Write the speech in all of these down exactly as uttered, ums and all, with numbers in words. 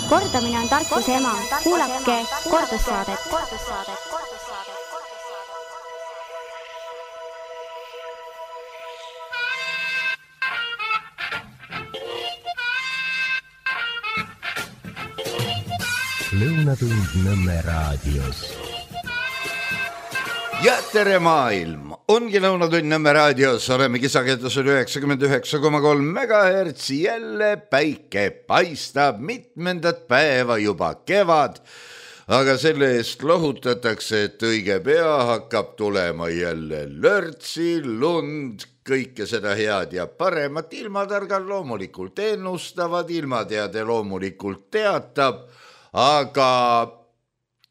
Kordamine on tarkuse ema. Kuulake kordussaadet. Lõunatund Nõmme raadios. Ja tere maailm! Ongi Lõunatund Nõmme raadios. Oleme kisaketusel üheksakümmend üheksa koma kolm megahertsi. Jälle päike paistab mitmendat päeva juba kevad. Aga selle eest lohutatakse, et õige pea hakkab tulema jälle lörtsi, lund, kõike seda head ja paremat. Ilmatargal loomulikult ennustavad, ilmateade loomulikult teatab. Aga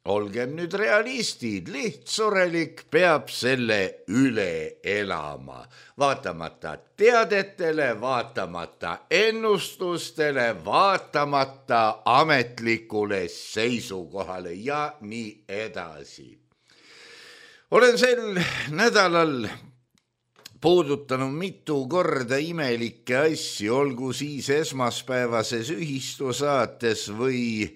olgem nüüd realistid, lihtsurelik peab selle üle elama. Vaatamata teadetele, vaatamata ennustustele, vaatamata ametlikule seisukohale ja nii edasi. Olen sel nädalal puudutanud mitu korda imelikke asju, olgu siis esmaspäevases ühistusaates või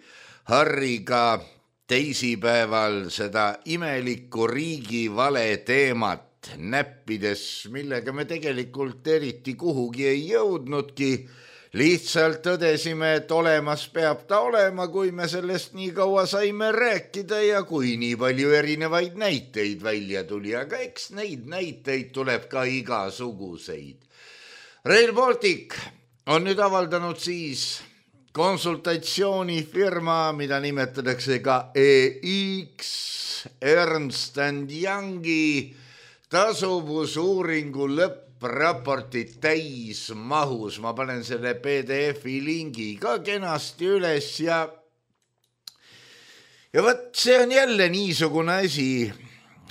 Harriga teisipäeval seda imelikku riigivale teemat näppides, millega me tegelikult eriti kuhugi ei jõudnudki. Lihtsalt tõdesime, et olemas peab ta olema, kui me sellest nii kaua saime rääkida ja kui nii palju erinevaid näiteid välja tuli. Aga eks neid näiteid tuleb ka igasuguseid. Rail Baltic on nüüd avaldanud siis konsultatsioonifirma, mida nimetatakse ka E X, Ernst and Youngi tasuvusuuringu lõppraportit täismahus. Ma panen selle P D F-i lingi ka kenasti üles ja ja võt, see on jälle niisugune asi,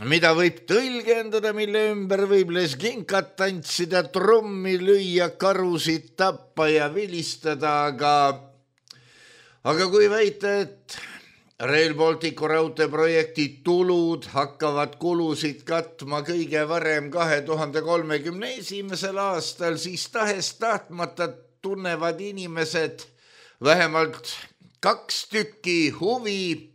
mida võib tõlgendada, mille ümber võib leskinkat tantsida, trummi lüüa, karusid tappa ja vilistada, aga Aga kui väita, et Rail Balticu raudteeprojekti tulud hakkavad kulusid katma kõige varem kahe tuhande kolmekümne esimesel aastal, siis tahes tahtmata tunnevad inimesed vähemalt kaks tükki huvi,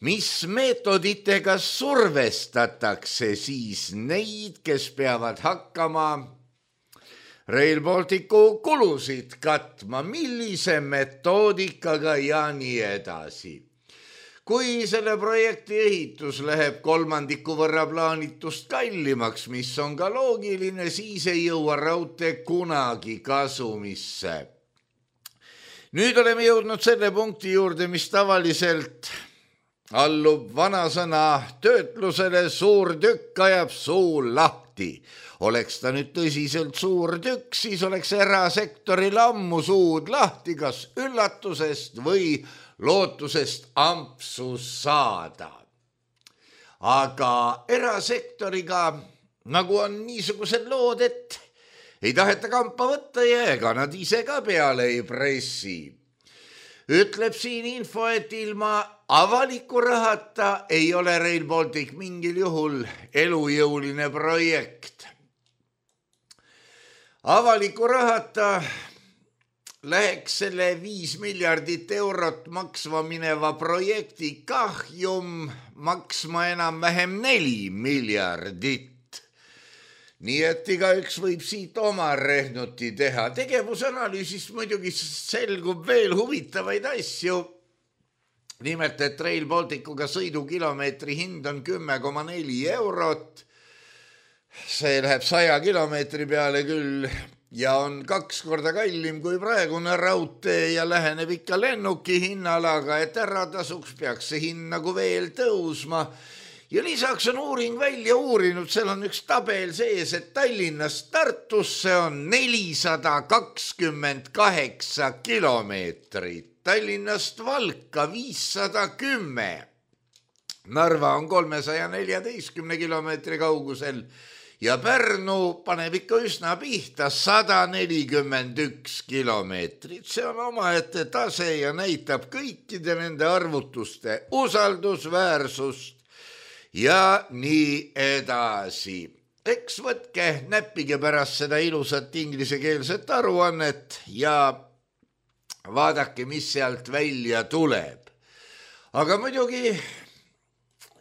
mis meetoditega survestatakse siis neid, kes peavad hakkama Rail Balticu kulusid katma, millise metoodikaga ja nii edasi. Kui selle projekti ehitus läheb kolmandiku võrra plaanitust kallimaks, mis on ka loogiline, siis ei jõua raudtee kunagi kasumisse. Nüüd oleme jõudnud selle punkti juurde, mis tavaliselt allub vanasõna töötlusele, suur tükk ajab suu lahti. Oleks ta nüüd tõsiselt suur tükk, siis oleks erasektoril ammu suud lahti, kas üllatusest või lootusest ampsu saada. Aga erasektoriga, nagu on niisugused lood, et ei taheta kampa võtta ja ega nad ise ka peale ei pressi. Ütleb siin info, et ilma avaliku rahata ei ole Rail Baltic mingil juhul elujõuline projekt. Avaliku rahata läheks selle viis miljardit eurot maksma mineva projekti kahjum maksma enam vähem neli miljardit. Nii et igaüks võib siit oma rehnuti teha. Tegevusanalüüsist muidugi selgub veel huvitavaid asju. Nimelt, et Rail Balticuga sõidukilomeetri hind on kümme koma neli eurot. See läheb saja kilomeetri peale küll ja on kaks korda kallim kui praegune raudtee ja läheneb ikka lennuki hinnalaga, et ära tasuks peaks see hind nagu veel tõusma. Ja lisaks on uuring välja uurinud, seal on üks tabel sees, et Tallinnast Tartusse on nelisada kakskümmend kaheksa kilomeetrit, Tallinnast Valka viissada kümme, Narva on kolmesaja neljateistkümne kilomeetri kaugusel ja Pärnu paneb ikka üsna pihta sada nelikümmend üks kilomeetrit. See on omaette tase ja näitab kõikide nende arvutuste usaldusväärsust ja nii edasi. Eks võtke, näppige pärast seda ilusat inglisekeelset aruannet ja vaadake, mis sealt välja tuleb. Aga muidugi,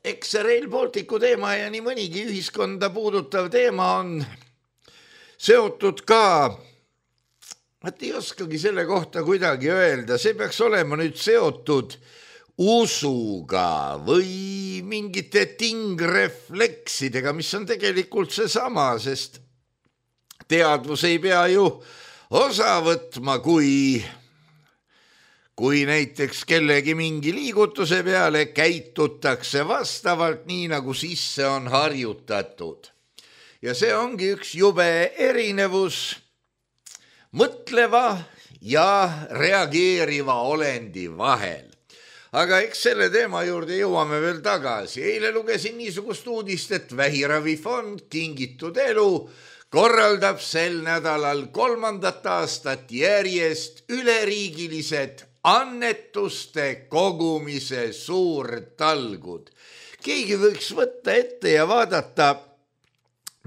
eks see Rail Balticu teema ja nii mõnigi ühiskonda puudutav teema on seotud ka, et ei oskagi selle kohta kuidagi öelda, see peaks olema nüüd seotud usuga või mingite tingrefleksidega, mis on tegelikult seesama, sest teadvus ei pea ju osa võtma, kui, kui näiteks kellegi mingi liigutuse peale käitutakse vastavalt nii, nagu sisse on harjutatud. Ja see ongi üks jube erinevus mõtleva ja reageeriva olendi vahel. Aga eks selle teema juurde jõuame veel tagasi. Eile lugesin niisugust uudist, et Vähiravifond Kingitud elu korraldab sel nädalal kolmandat aastat järjest üleriigilised annetuste kogumise suurtalgud. Keegi võiks võtta ette ja vaadata,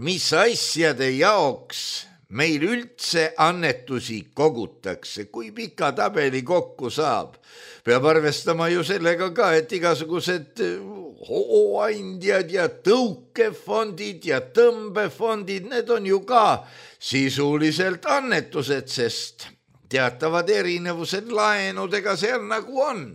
mis asjade jaoks meil üldse annetusi kogutakse, kui pika tabeli kokku saab. Peab arvestama ju sellega ka, et igasugused hooandjad ja tõukefondid ja tõmbefondid, need on ju ka sisuliselt annetused, sest teatavad erinevused laenudega seal nagu on.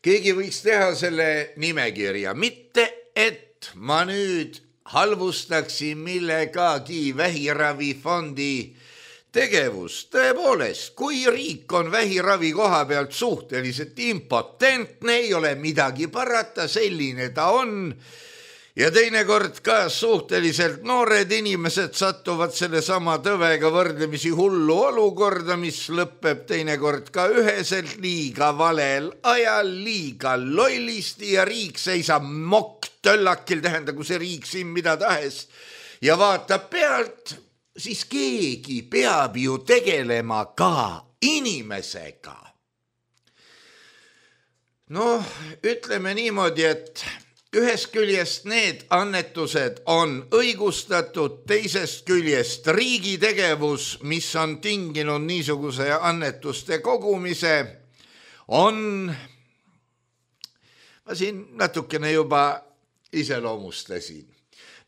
Keegi võiks teha selle nimekirja, mitte et ma nüüd halvustaksin millegagi Vähiravifondi tegevust. Tõepoolest, kui riik on vähiravi koha pealt suhteliselt impotentne, ei ole midagi parata, selline ta on. Ja teinekord ka suhteliselt noored inimesed satuvad selle sama tõvega võrdlemisi hullu olukorda, mis lõpeb teinekord ka üheselt liiga valel ajal, liiga lollisti ja riik seisab mokk töllakil, tähendagu see riik siin mida tahes ja vaatab pealt, siis keegi peab ju tegelema ka inimesega. Noh, ütleme niimoodi, et ühest küljest need annetused on õigustatud, teisest küljest riigi tegevus, mis on tinginud niisuguse annetuste kogumise, on, ma siin natukene juba iseloomustasin.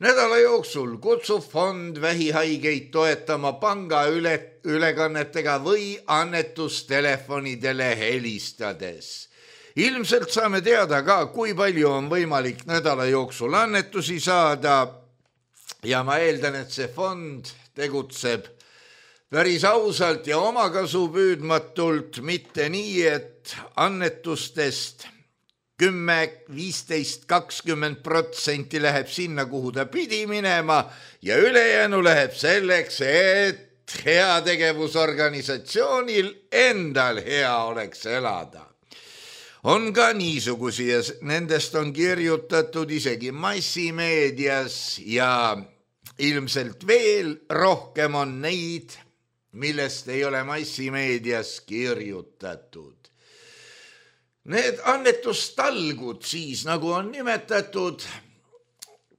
Nädala jooksul kutsub fond vähihaigeid toetama panga üle, ülekannetega või annetustelefonidele helistades. Ilmselt saame teada ka, kui palju on võimalik nädala jooksul annetusi saada ja ma eeldan, et see fond tegutseb päris ausalt ja omakasu püüdmatult, mitte nii, et annetustest kümme, viisteist, kakskümmend protsenti läheb sinna, kuhu ta pidi minema ja ülejäänu läheb selleks, et heategevusorganisatsioonil endal hea oleks elada. On ka niisugusi ja nendest on kirjutatud isegi massimeedias ja ilmselt veel rohkem on neid, millest ei ole massimeedias kirjutatud. Need annetustalgud siis, nagu on nimetatud,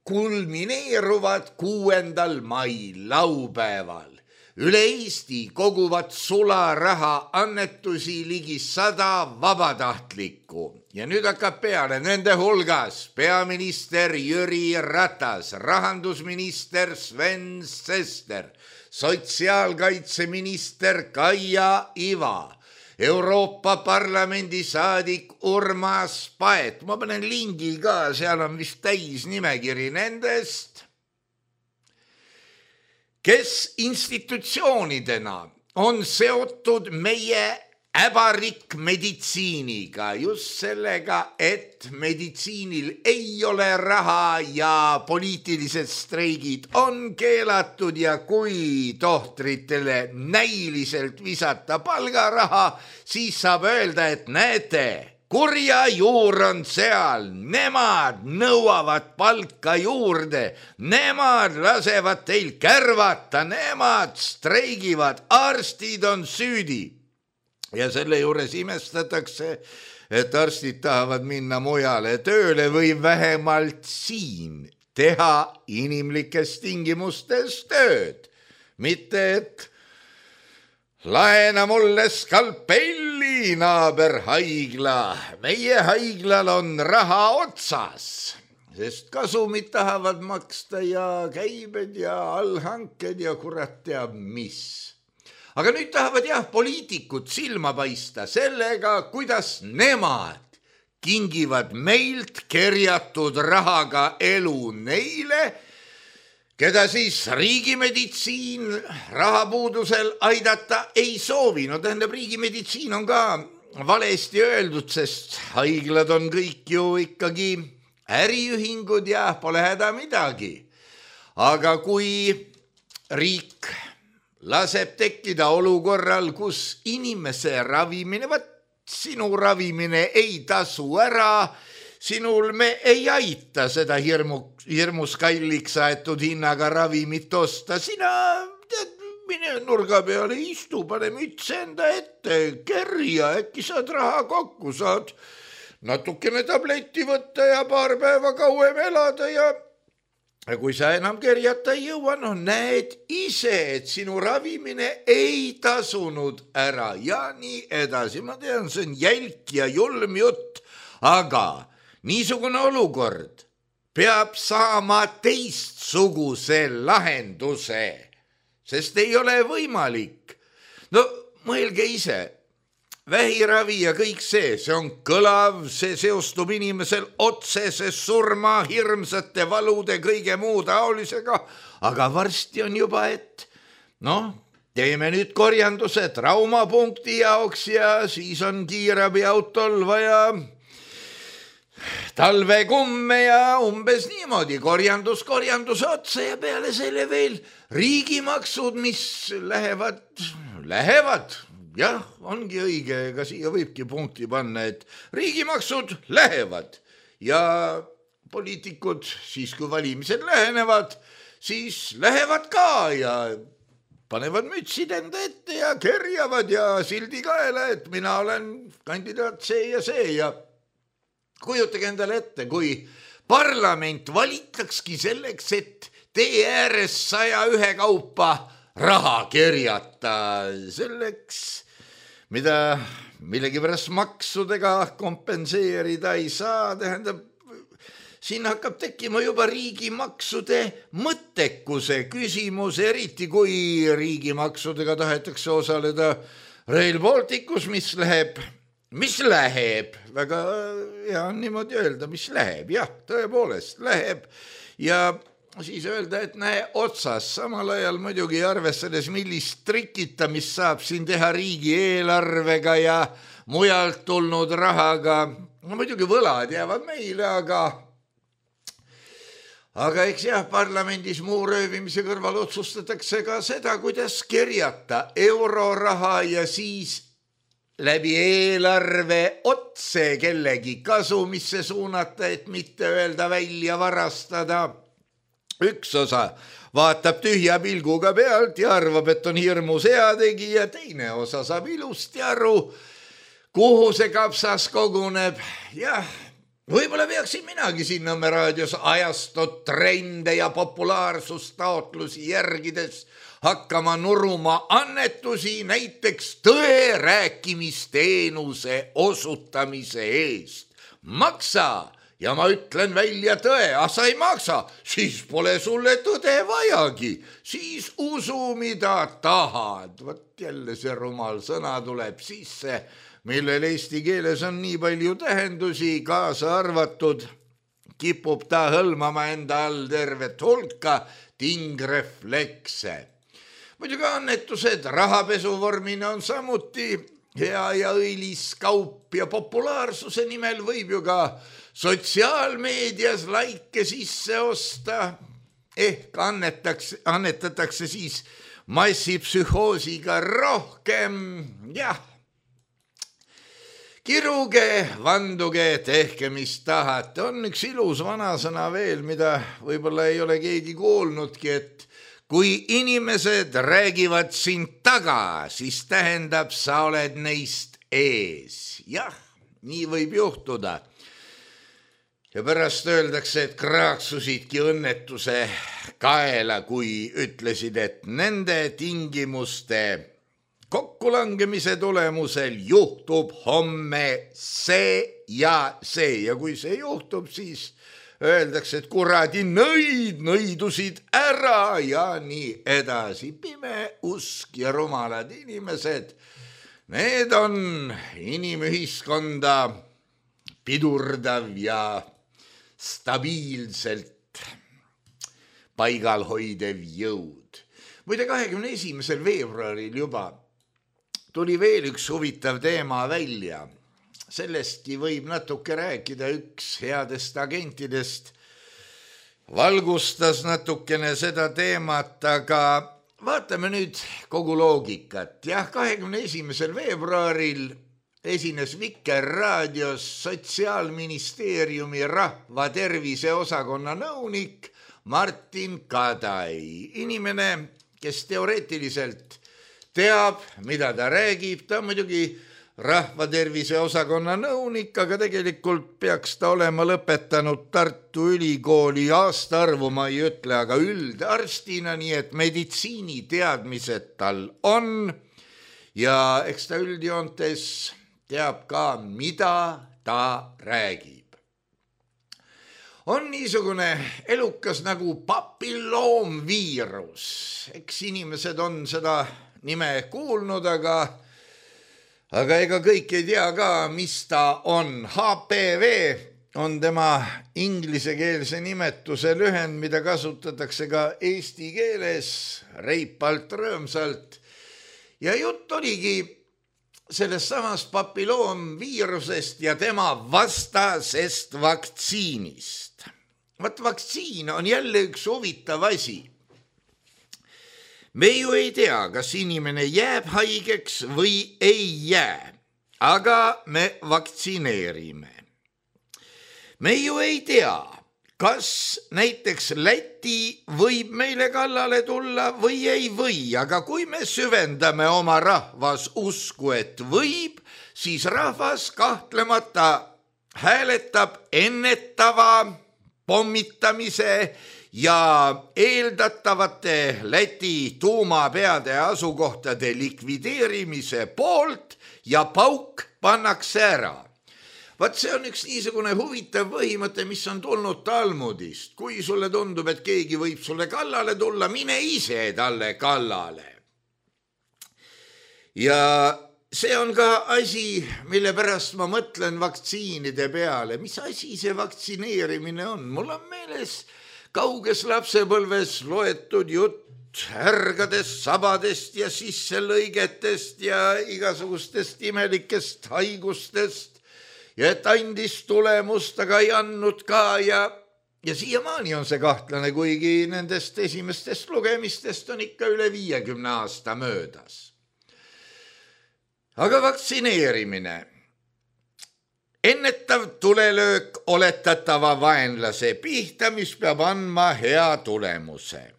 kulmineeruvad kuuendal mail laupäeval. Üle Eesti koguvad sularaha annetusi ligi sada vabatahtlikku ja nüüd hakkab peale nende hulgas peaminister Jüri Ratas, rahandusminister Sven Sester, sotsiaalkaitseminister Kaia Iva, Euroopa Parlamendi saadik Urmas Paet. Ma panen lingi ka, seal on vist täis nimekiri nendest, kes institutsioonidena on seotud meie äbarikk meditsiiniga, just sellega, et meditsiinil ei ole raha ja poliitilised streigid on keelatud ja kui tohtritele näiliselt visata palgaraha, siis saab öelda, et näete, kurja juur on seal, nemad nõuavad palka juurde, nemad lasevad teil kärvata, nemad streigivad, arstid on süüdi. Ja selle juures imestatakse, et arstid tahavad minna mujale tööle või vähemalt siin teha inimlikes tingimustes tööd. Mitte, et laena mulle skalpelli, naaber haigla. Meie haiglal on raha otsas, sest kasumit tahavad maksta ja käibed ja allhanked ja kurat teab mis. Aga nüüd tahavad jah poliitikud silma paista sellega, kuidas nemad kingivad meilt kerjatud rahaga elu neile, keda siis riigimeditsiin rahapuudusel aidata ei soovi. No tähendab, riigimeditsiin on ka valesti öeldud, sest haiglad on kõik ju ikkagi äriühingud ja pole häda midagi. Aga kui riik laseb tekkida olukorral, kus inimese ravimine, võt sinu ravimine ei tasu ära, sinul me ei aita seda hirmu, hirmus kalliks aetud hinnaga ravimit osta. Sina tead, mine nurga peale istu, pane müts enda ette, kerja, äkki saad raha kokku, saad natukene tableti võtta ja paar päeva kauem elada ja Ja kui sa enam kerjata ei jõua, no näed ise, et sinu ravimine ei tasunud ära ja nii edasi. Ma tean, see on jälk ja julm jutt, aga niisugune olukord peab saama teistsuguse lahenduse, sest ei ole võimalik. No mõelge ise. Vähiravi ja kõik see, see on kõlav, see seostub inimesel otsese surma, hirmsate valude, kõige muu taolisega, aga varsti on juba, et noh, teeme nüüd korjanduse traumapunkti jaoks ja siis on kiirabiautol vaja talvekumme ja umbes niimoodi korjandus korjanduse otsa ja peale selle veel riigimaksud, mis lähevad, lähevad. Jah, ongi õige, ega siia võibki punkti panna, et riigimaksud lähevad ja poliitikud siis, kui valimised lähenevad, siis lähevad ka ja panevad mütsid enda ette ja kerjavad ja sildi kaela, et mina olen kandidaat see ja see ja kujutage endale ette, kui parlament valitakski selleks, et tee ääres saja ühe kaupa raha kerjata selleks, mida millegipärast maksudega kompenseerida ei saa, tähendab, siin hakkab tekkima juba riigimaksude mõttekuse küsimus, eriti kui riigimaksudega tahetakse osaleda Rail Balticus, mis läheb, mis läheb, väga hea on niimoodi öelda, mis läheb, jah, tõepoolest läheb ja siis öelda, et näe otsas, samal ajal muidugi arvestades, millist trikita, mis saab siin teha riigi eelarvega ja mujalt tulnud rahaga. No muidugi võlad jäävad meile, aga aga eks jah, parlamendis muu röövimise kõrval otsustatakse ka seda, kuidas kerjata euroraha ja siis läbi eelarve otse kellegi kasumisse suunata, et mitte öelda välja varastada. Üks osa vaatab tühja pilguga pealt ja arvab, et on hirmus heategi ja teine osa saab ilusti aru, kuhu see kapsas koguneb. Jah, võib-olla peaksin minagi siin Nõmme raadios ajastud trende ja populaarsustaotlusi järgides hakkama nuruma annetusi näiteks tõe rääkimisteenuse osutamise eest. Maksa! Ja ma ütlen välja tõe, ah sa ei maksa, siis pole sulle tõde vajagi, siis usu mida tahad. Võt jälle see rumal sõna tuleb sisse, millel eesti keeles on nii palju tähendusi, kaasa arvatud, kipub ta hõlmama enda all tervet hulka tingreflekse. Muidugi annetused rahapesuvormina on samuti hea ja õilis kaup ja populaarsuse nimel võib ju ka sotsiaalmeedias laike sisse osta, ehk annetatakse, annetatakse siis massipsühhoosiga rohkem, jah. Kiruge, vanduge, tehke mis tahate. On üks ilus vanasõna veel, mida võib-olla ei ole keegi kuulnudki, et kui inimesed räägivad sind taga, siis tähendab, sa oled neist ees. Jah, nii võib juhtuda. Ja pärast öeldakse, et kraaksusidki õnnetuse kaela, kui ütlesid, et nende tingimuste kokkulangemise tulemusel juhtub homme see ja see ja kui see juhtub, siis öeldakse, et kuradi nõid nõidusid ära ja nii edasi. Pime usk ja rumalad inimesed, need on inimühiskonda pidurdav ja stabiilselt paigal hoidev jõud. Muide, kahekümne esimesel veebruaril juba tuli veel üks huvitav teema välja. Sellestki võib natuke rääkida, üks headest agentidest valgustas natukene seda teemat, aga vaatame nüüd kogu loogikat. Jah, kahekümne esimesel veebruaril esines Vikerraadios Sotsiaalministeeriumi rahvatervise osakonna nõunik Martin Kadai. Inimene, kes teoreetiliselt teab, mida ta räägib, ta muidugi rahvatervise osakonna nõunik, aga tegelikult peaks ta olema lõpetanud Tartu Ülikooli aastaarvu, ma ei ütle, aga üldarstina, nii et meditsiiniteadmised tal on ja eks ta üldjoontes teab ka, mida ta räägib. On niisugune elukas nagu papilloomviirus. Eks inimesed on seda nime kuulnud, aga Aga ega kõik ei tea ka, mis ta on. H P V on tema inglisekeelse nimetuse lühend, mida kasutatakse ka eesti keeles reipalt, rõõmsalt. Ja jutt oligi sellest samast papilloomviirusest ja tema vastasest vaktsiinist. Vaat vaktsiin on jälle üks huvitav asi. Me ju ei tea, kas inimene jääb haigeks või ei jää, aga me vaktsineerime. Me ju ei tea, kas näiteks Läti võib meile kallale tulla või ei või, aga kui me süvendame oma rahvas usku, et võib, siis rahvas kahtlemata hääletab ennetava pommitamise ja eeldatavate Läti tuumapeade asukohtade likvideerimise poolt ja pauk pannakse ära. Vaat see on üks niisugune huvitav põhimõte, mis on tulnud Talmudist. Kui sulle tundub, et keegi võib sulle kallale tulla, mine ise talle kallale. Ja see on ka asi, mille pärast ma mõtlen vaktsiinide peale. Mis asi see vaktsineerimine on? Mul on meeles kauges lapsepõlves loetud jutt härgadest, sabadest ja sisselõigetest ja igasugustest imelikest haigustest ja et andis tulemust, aga ei andnud ka ja, ja siiamaani on see kahtlane, kuigi nendest esimestest lugemistest on ikka üle viiekümne aasta möödas. Aga vaktsineerimine. Ennetav tulelöök oletatava vaenlase pihta, mis peab andma hea tulemuse.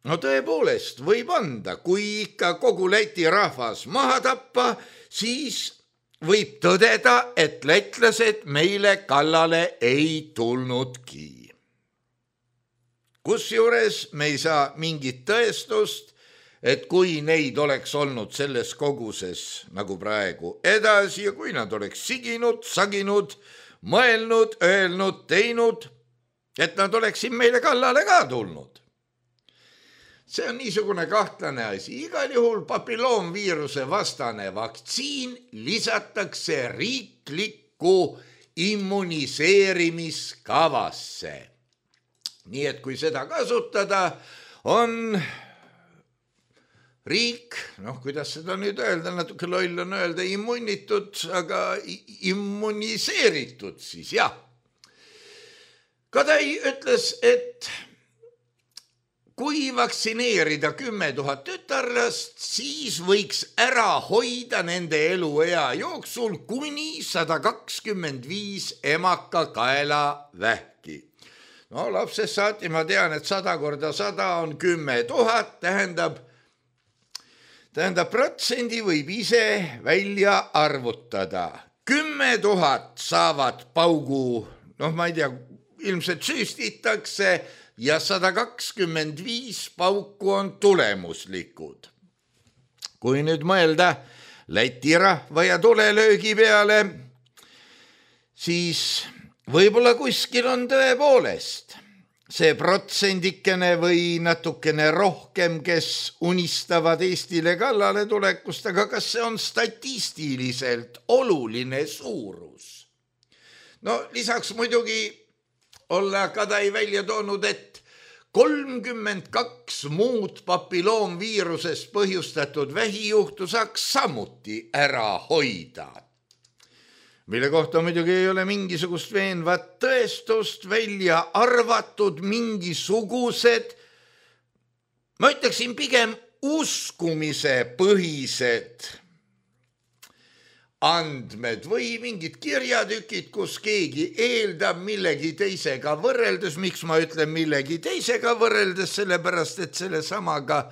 No tõepoolest võib anda, kui ikka kogu Läti rahvas maha tappa, siis võib tõdeda, et lätlased meile kallale ei tulnudki. Kusjuures me ei saa mingit tõestust, et kui neid oleks olnud selles koguses nagu praegu edasi ja kui nad oleks siginud, saginud, mõelnud, öelnud, teinud, et nad oleksid meile kallale ka tulnud. See on niisugune kahtlane asi. Igal juhul papilloomviiruse vastane vaktsiin lisatakse riiklikku immuniseerimiskavasse. Nii et kui seda kasutada, on riik, noh, kuidas seda nüüd öelda, natuke loll on öelda, immunitud, aga immuniseeritud siis, jah. Kadai ütles, et kui vaktsineerida kümme tuhat tütarlast, siis võiks ära hoida nende eluea jooksul kuni sada kakskümmend viis emakakaela vähki. No lapsest saati ma tean, et sada korda sada on kümme tuhat, tähendab, Tähendab, protsendi võib ise välja arvutada. Kümme tuhat saavad paugu, noh, ma ei tea, ilmselt süstitakse ja sada kakskümmend viis pauku on tulemuslikud. kui nüüd mõelda Läti rahva ja tulelöögi peale, siis võib-olla kuskil on tõepoolest see protsendikene või natukene rohkem, kes unistavad Eestile kallale tulekust, aga kas see on statistiliselt oluline suurus? No lisaks muidugi olla Kadai välja toonud, et kolmkümmend kaks muud papilloomviirusest põhjustatud vähijuhtu saaks samuti ära hoida, mille kohta muidugi ei ole mingisugust veenvat tõestust, välja arvatud mingisugused, ma ütleksin pigem uskumise põhised andmed või mingid kirjatükid, kus keegi eeldab millegi teisega võrreldes. Miks ma ütlen millegi teisega võrreldes? Sellepärast, et selle samaga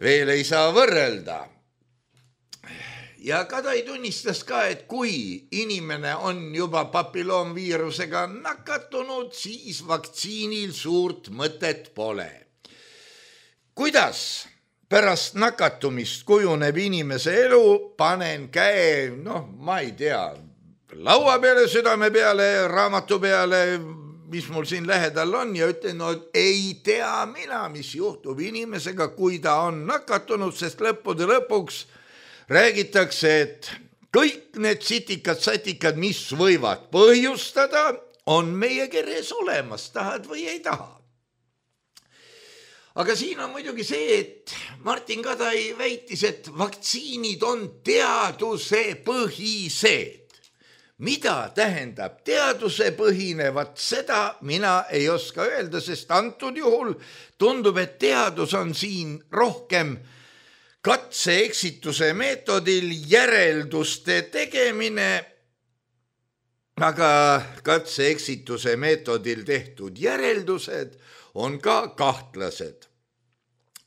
veel ei saa võrrelda. Ja Kadai tunnistas ka, et kui inimene on juba papilloomviirusega nakatunud, siis vaktsiinil suurt mõtet pole. Kuidas pärast nakatumist kujuneb inimese elu? Panen käe, noh, ma ei tea, laua peale, südame peale, raamatu peale, mis mul siin lähedal on ja ütlen, no ei tea mina, mis juhtub inimesega, kui ta on nakatunud, sest lõppude lõpuks räägitakse, et kõik need sitikad-satikad, mis võivad põhjustada, on meie keres olemas, tahad või ei taha. Aga siin on muidugi see, et Martin Kadai väitis, et vaktsiinid on teaduse põhised. Mida tähendab teaduse põhine? Vat seda mina ei oska öelda, sest antud juhul tundub, et teadus on siin rohkem katse-eksituse meetodil järelduste tegemine, aga katse-eksituse meetodil tehtud järeldused on ka kahtlased.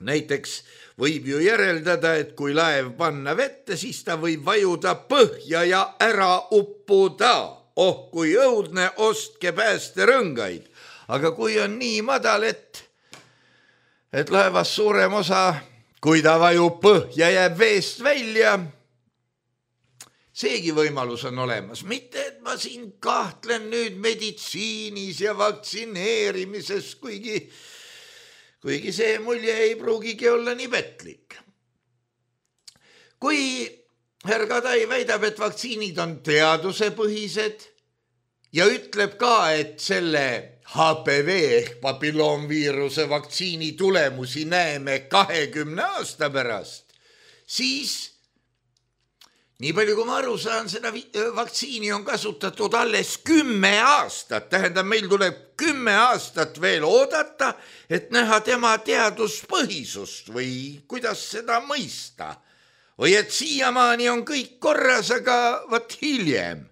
Näiteks võib ju järeldada, et kui laev panna vette, siis ta võib vajuda põhja ja ära uppuda. Oh, kui õudne, ostke päästerõngaid. Aga kui on nii madal, et, et laevas suurem osa, kui ta vajub põhja, jääb veest välja, seegi võimalus on olemas. Mitte, et ma siin kahtlen nüüd meditsiinis ja vaktsineerimises, kuigi, kuigi see mulje ei pruugigi olla nii petlik. Kui härra Kadai väidab, et vaktsiinid on teadusepõhised ja ütleb ka, et selle H P V ehk papilloomviiruse vaktsiini tulemusi näeme kahekümne aasta pärast, siis nii palju, kui ma aru saan, seda vaktsiini on kasutatud alles kümme aastat. Tähendab, meil tuleb kümme aastat veel oodata, et näha tema teaduspõhisust või kuidas seda mõista. Või et siiamaani on kõik korras, aga vat hiljem.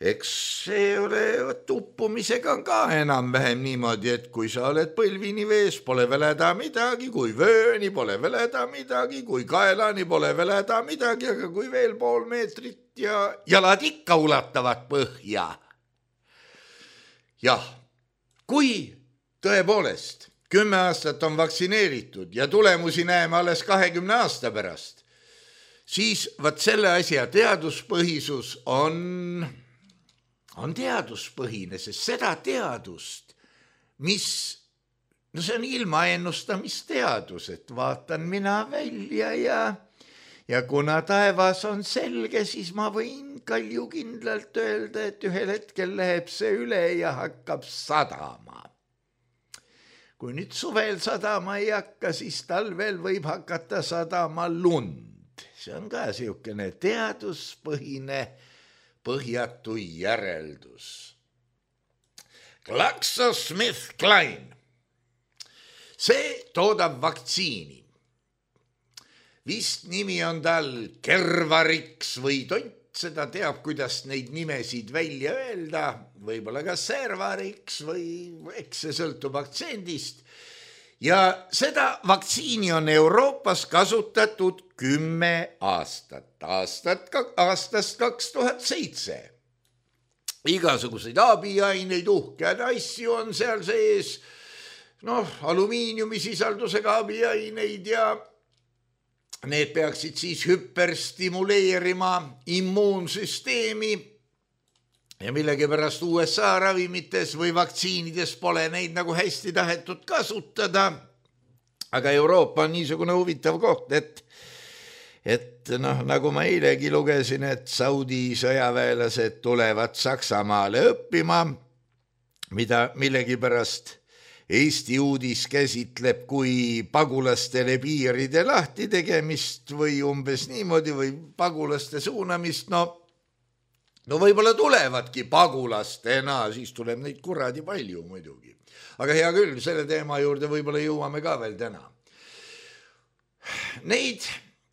Eks see ole vat uppumisega on ka enam-vähem niimoodi, et kui sa oled põlvini vees, pole väleda midagi, kui vööni pole väleda midagi, kui kaelani pole väleda midagi, aga kui veel pool meetrit ja jalad ikka ulatavad põhja. Jah, kui tõepoolest kümme aastat on vaktsineeritud ja tulemusi näeme alles kahekümne aasta pärast, siis vat selle asja teaduspõhisus on... on teaduspõhine, sest seda teadust, mis, no see on ilmaennustamisteadus, et vaatan mina välja ja, ja kuna taevas on selge, siis ma võin kaljukindlalt öelda, et ühel hetkel läheb see üle ja hakkab sadama. Kui nüüd suvel sadama ei hakka, siis talvel võib hakata sadama lund. See on ka siukene teaduspõhine põhjatu järeldus. GlaxoSmithKline. See toodab vaktsiini. Vist nimi on tal Kervarix või Tont, seda teab, kuidas neid nimesid välja öelda. Võib-olla ka Servarix või eks see sõltub aktsendist. Ja seda vaktsiini on Euroopas kasutatud kümme aastat, aastat, aastast kaks tuhat seitse. Igasuguseid abiaineid, uhkead asju on seal sees, noh, alumiiniumi sisaldusega abiaineid ja, need peaksid siis hüperstimuleerima immuunsüsteemi ja millegipärast U S A ravimites või vaktsiinides pole neid nagu hästi tahetud kasutada. Aga Euroopa on niisugune huvitav koht, et, et noh, nagu ma eilegi lugesin, et Saudi sõjaväelased tulevad Saksamaale õppima, mida millegipärast Eesti uudis käsitleb kui pagulastele piiride lahti tegemist või umbes niimoodi või pagulaste suunamist. No, no võib-olla tulevadki pagulastena, siis tuleb neid kuradi palju muidugi. Aga hea küll, selle teema juurde võib-olla jõuame ka veel täna. Neid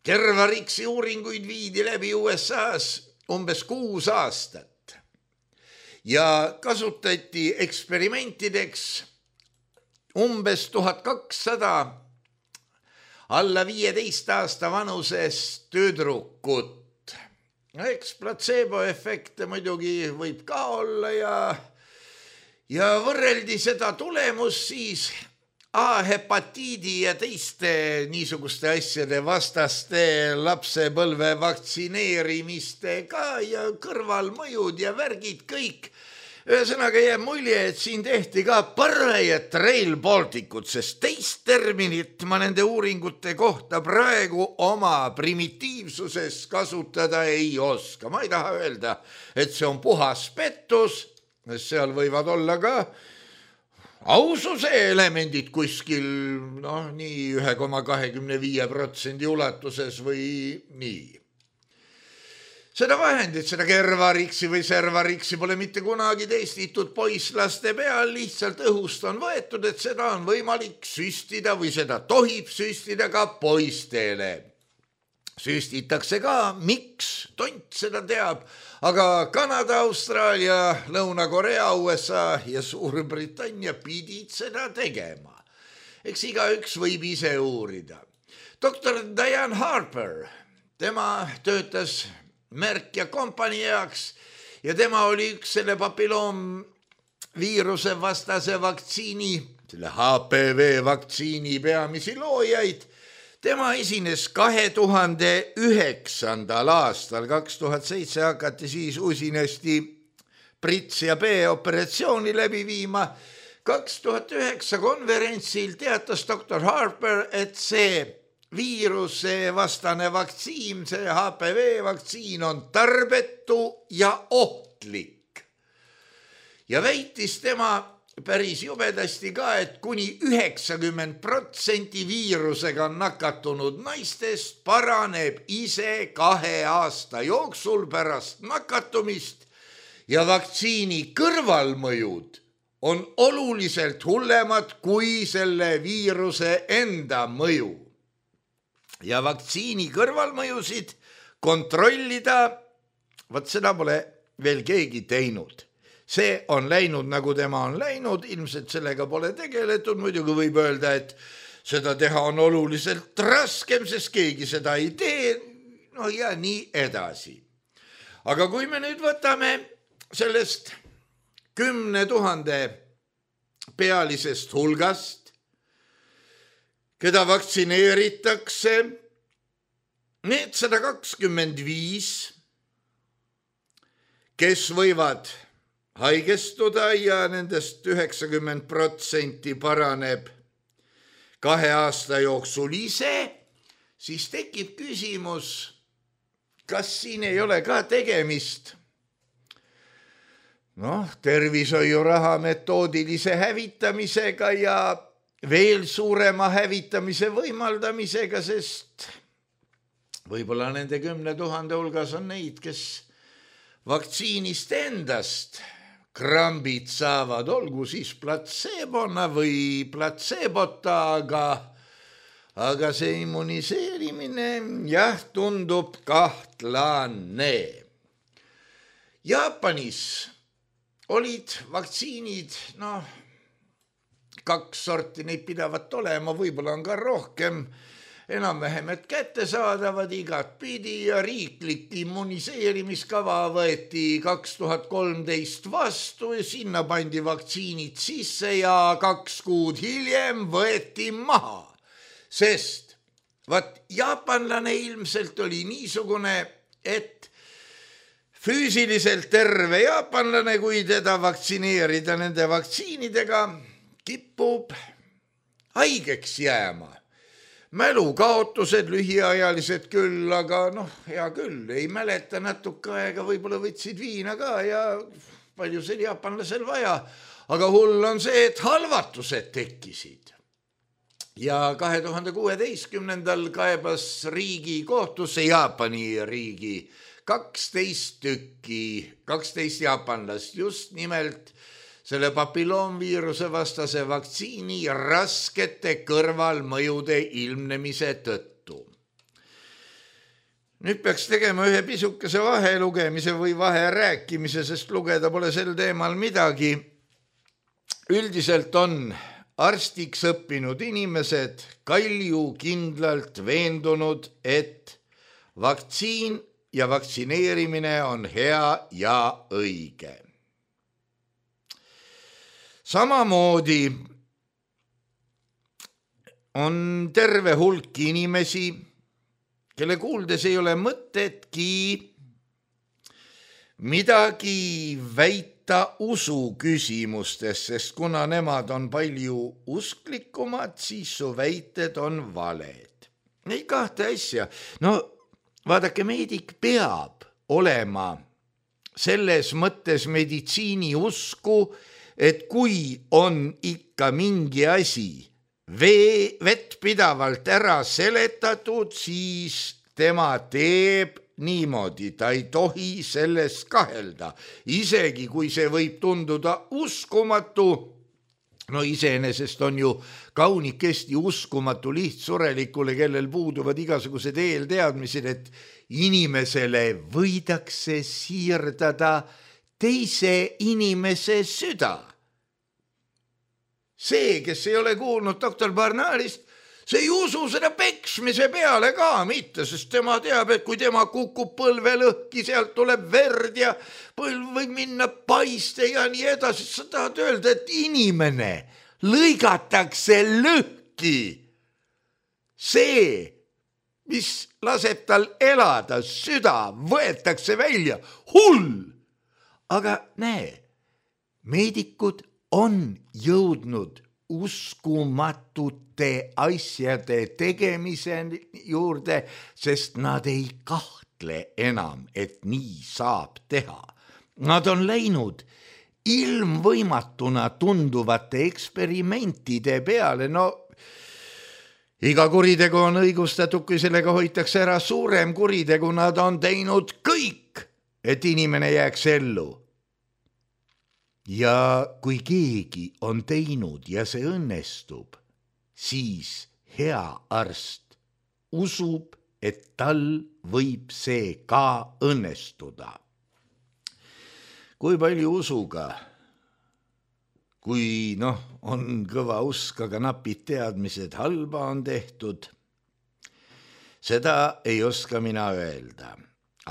tervariksi uuringuid viidi läbi U S A-s umbes kuus aastat ja kasutati eksperimentideks umbes tuhat kakssada alla viieteist aasta vanusest tüdrukut. Eks platseeboefekte muidugi võib ka olla ja, ja võrreldi seda tulemust siis A-hepatiidi ja teiste niisuguste asjade vastaste lapsepõlve vaktsineerimistega ja kõrvalmõjud ja värgid kõik. Ühesõnaga jääb mulje, et siin tehti ka parajat Rail Balticut, sest teist terminit ma nende uuringute kohta praegu oma primitiivsuses kasutada ei oska. Ma ei taha öelda, et see on puhas pettus, seal võivad olla ka aususe elemendid kuskil noh, nii üks koma kakskümmend viis protsenti ulatuses või nii. Seda vahendit, seda kervariksi või servariksi pole mitte kunagi testitud poisslaste peal, lihtsalt õhust on võetud, et seda on võimalik süstida või seda tohib süstida ka poistele. Süstitakse ka, miks, tont seda teab, aga Kanada, Austraalia, Lõuna-Korea, U S A ja Suurbritannia pidid seda tegema. Eks igaüks võib ise uurida. doktor Diane Harper, tema töötas Merck ja kompanii jaoks ja tema oli üks selle papilloomviiruse vastase vaktsiini, selle H P V vaktsiini peamisi loojaid. Tema esines kahe tuhande üheksandal aastal, kaks tuhat seitse hakati siis usinasti Brits ja B operatsiooni läbi viima. kaks tuhat üheksa konverentsil teatas doktor Harper, et see viiruse vastane vaktsiin, see H P V vaktsiin on tarbetu ja ohtlik. Ja väitis tema päris jubedasti ka, et kuni üheksakümmend protsenti viirusega nakatunud naistest paraneb ise kahe aasta jooksul pärast nakatumist ja vaktsiini kõrvalmõjud on oluliselt hullemad kui selle viiruse enda mõju. Ja vaktsiini kõrvalmõjusid kontrollida, võt seda pole veel keegi teinud. See on läinud, nagu tema on läinud, ilmselt sellega pole tegeletud, muidugi võib öelda, et seda teha on oluliselt raskem, sest keegi seda ei tee, no ja nii edasi. Aga kui me nüüd võtame sellest kümne tuhande pealisest hulgast, keda vaktsineeritakse, need sada kakskümmend viis, kes võivad haigestuda ja nendest üheksakümmend protsenti paraneb kahe aasta jooksul ise, siis tekib küsimus, kas siin ei ole ka tegemist noh, tervishoiuraha metoodilise hävitamisega ja veel suurema hävitamise võimaldamisega, sest võib-olla nende kümne tuhande hulgas on neid, kes vaktsiinist endast krambid saavad, olgu siis platseebona või platseebota, aga, aga see immuniseerimine jah, tundub kahtlane. Jaapanis olid vaktsiinid, noh, kaks sorti neid pidavat olema, võib-olla on ka rohkem, enam-vähem, et kättesaadavad igat pidi ja riiklik immuniseerimiskava võeti kaks tuhat kolmteist vastu ja sinna pandi vaktsiinid sisse ja kaks kuud hiljem võeti maha, sest Vaat jaapanlane ilmselt oli niisugune, et füüsiliselt terve jaapanlane, kui teda vaktsineerida nende vaktsiinidega, kipub haigeks jääma. Mälukaotused lühiajalised küll, aga noh, hea küll, ei mäleta natuke aega, võib-olla võtsid viina ka ja palju seal jaapanlasel vaja, aga hull on see, et halvatused tekkisid. Ja kahe tuhande kuueteistkümnendal kaebas riigi kohtusse, Jaapani riigi, kaksteist tükki, kaksteist jaapanlast just nimelt selle papilloomviiruse vastase vaktsiini raskete kõrvalmõjude ilmnemise tõttu. Nüüd peaks tegema ühe pisukese vahelugemise või vaherääkimise, sest lugeda pole sel teemal midagi. Üldiselt on arstiks õppinud inimesed kalju kindlalt veendunud, et vaktsiin ja vaktsineerimine on hea ja õige. Samamoodi on terve hulk inimesi, kelle kuuldes ei ole mõtetki midagi väita usu küsimustes, sest kuna nemad on palju usklikumad, siis su väited on valed. Neid kahte asja. No vaadake, meedik peab olema selles mõttes meditsiini usku, et kui on ikka mingi asi vee, vett pidavalt ära seletatud, siis tema teeb niimoodi, ta ei tohi selles kahelda. Isegi kui see võib tunduda uskumatu, no iseenesest on ju kaunikesti uskumatu lihtsurelikule, kellel puuduvad igasugused eelteadmised, et inimesele võidakse siirdada teise inimese süda. See, kes ei ole kuulnud doktor Barnardist, see ei usu seda peksmise peale ka mitte, sest tema teab, et kui tema kukub põlve lõhki, sealt tuleb verd ja põlv võib minna paiste ja nii edasi. Sa tahad öelda, et inimene lõigatakse lõhki. See, mis laseb tal elada, süda võetakse välja. Hull! Aga näe, meedikud on jõudnud uskumatute asjade tegemise juurde, sest nad ei kahtle enam, et nii saab teha. Nad on läinud ilmvõimatuna tunduvate eksperimentide peale. No, iga kuritegu on õigustatud, kui sellega hoitakse ära suurem kuritegu. Nad on teinud kõik, et inimene jääks ellu. Ja kui keegi on teinud ja see õnnestub, siis hea arst usub, et tal võib see ka õnnestuda. Kui palju usuga, kui noh, on kõva usk, aga napid teadmised halba on tehtud, seda ei oska mina öelda.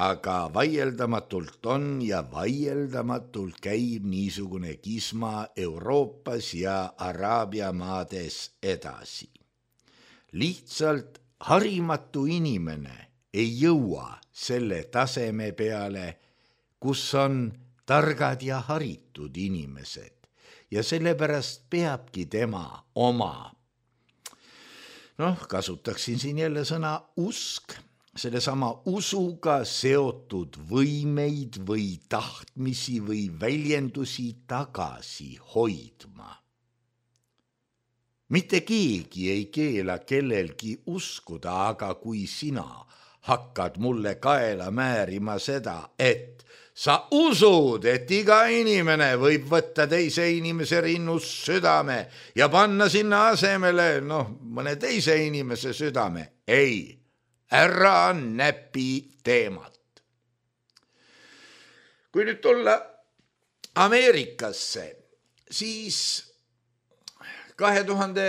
Aga vaieldamatult on ja vaieldamatult käib niisugune kisma Euroopas ja Araabia maades edasi. Lihtsalt harimatu inimene ei jõua selle taseme peale, kus on targad ja haritud inimesed ja sellepärast peabki tema oma. Noh, kasutaksin siin jälle sõna usk. Selle sama usuga seotud võimeid või tahtmisi või väljendusi tagasi hoidma. Mitte keegi ei keela kellelgi uskuda, aga kui sina hakkad mulle kaela määrima seda, et sa usud, et iga inimene võib võtta teise inimese rinnust südame ja panna sinna asemele noh, mõne teise inimese südame, ei. Ära näpi teemat. Kui nüüd tulla Ameerikasse, siis kahe tuhande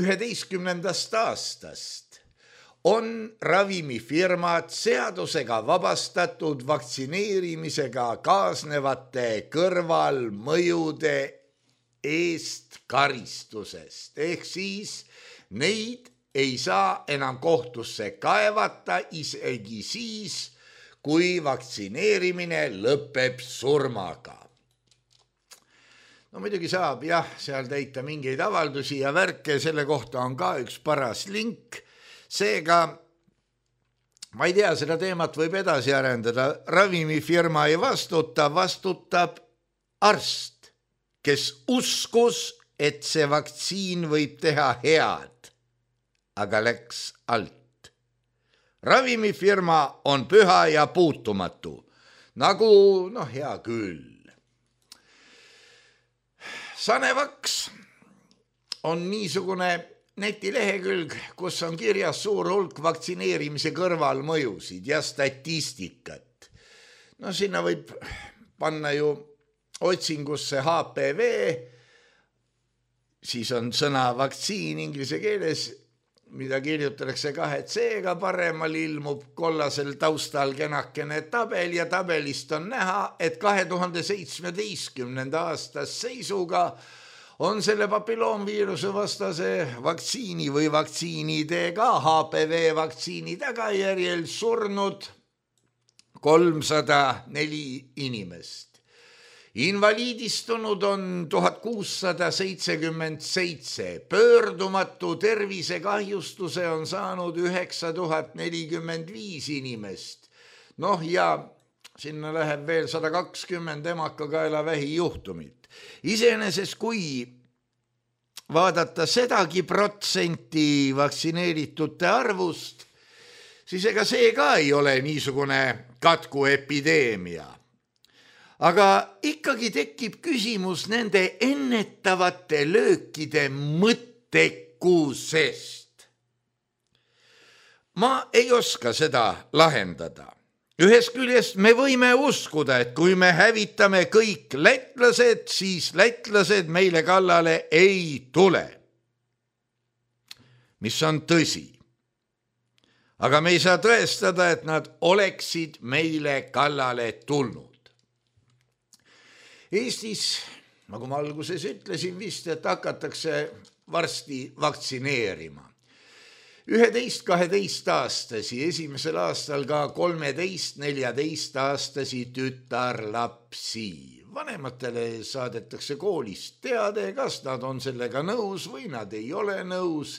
üheteistkümnendast aastast on ravimifirmad seadusega vabastatud vaktsineerimisega kaasnevate kõrvalmõjude eest karistusest. Ehk siis neid ei saa enam kohtusse kaevata isegi siis, kui vaktsineerimine lõpeb surmaga. No muidugi saab jah, seal täita mingeid avaldusi ja värke, selle kohta on ka üks paras link. Seega, ma ei tea, seda teemat võib edasi arendada. Ravimifirma ei vastuta, vastutab arst, kes uskus, et see vaktsiin võib teha head, aga läks alt. Ravimifirma on püha ja puutumatu, nagu, noh, hea küll. Sanevaks on niisugune netilehekülg, kus on kirjas suur hulk vaktsineerimise kõrvalmõjusid ja statistikat. No sinna võib panna ju otsingusse H P V, siis on sõna vaktsiin inglise keeles, mida kirjutatakse kahe C-ga, paremal ilmub kollasel taustal kenakene tabel ja tabelist on näha, et kahe tuhande seitsmeteistkümnenda aasta seisuga on selle papilloomviiruse vastase vaktsiini või vaktsiinidega H P V vaktsiini tagajärjel surnud kolmsada neli inimest. Invaliidistunud on tuhat kuussada seitsekümmend seitse, pöördumatu tervisekahjustuse on saanud üheksa tuhat nelikümmend viis inimest. Noh ja sinna läheb veel sada kakskümmend emakakaelavähi juhtumit. Iseenesest kui vaadata sedagi protsenti vaktsineeritute arvust, siis ega see ka ei ole niisugune katkuepideemia. Aga ikkagi tekib küsimus nende ennetavate löökide mõttekusest. Ma ei oska seda lahendada. Ühest küljest me võime uskuda, et kui me hävitame kõik lätlased, siis lätlased meile kallale ei tule. Mis on tõsi. Aga me ei saa tõestada, et nad oleksid meile kallale tulnud. Eestis, nagu ma alguses ütlesin vist, et hakatakse varsti vaktsineerima. üheteist kaheteist aastasi, esimesel aastal ka kolmeteist neljateist aastasi tütarlapsi. Vanematele saadetakse koolist teade, kas nad on sellega nõus või nad ei ole nõus.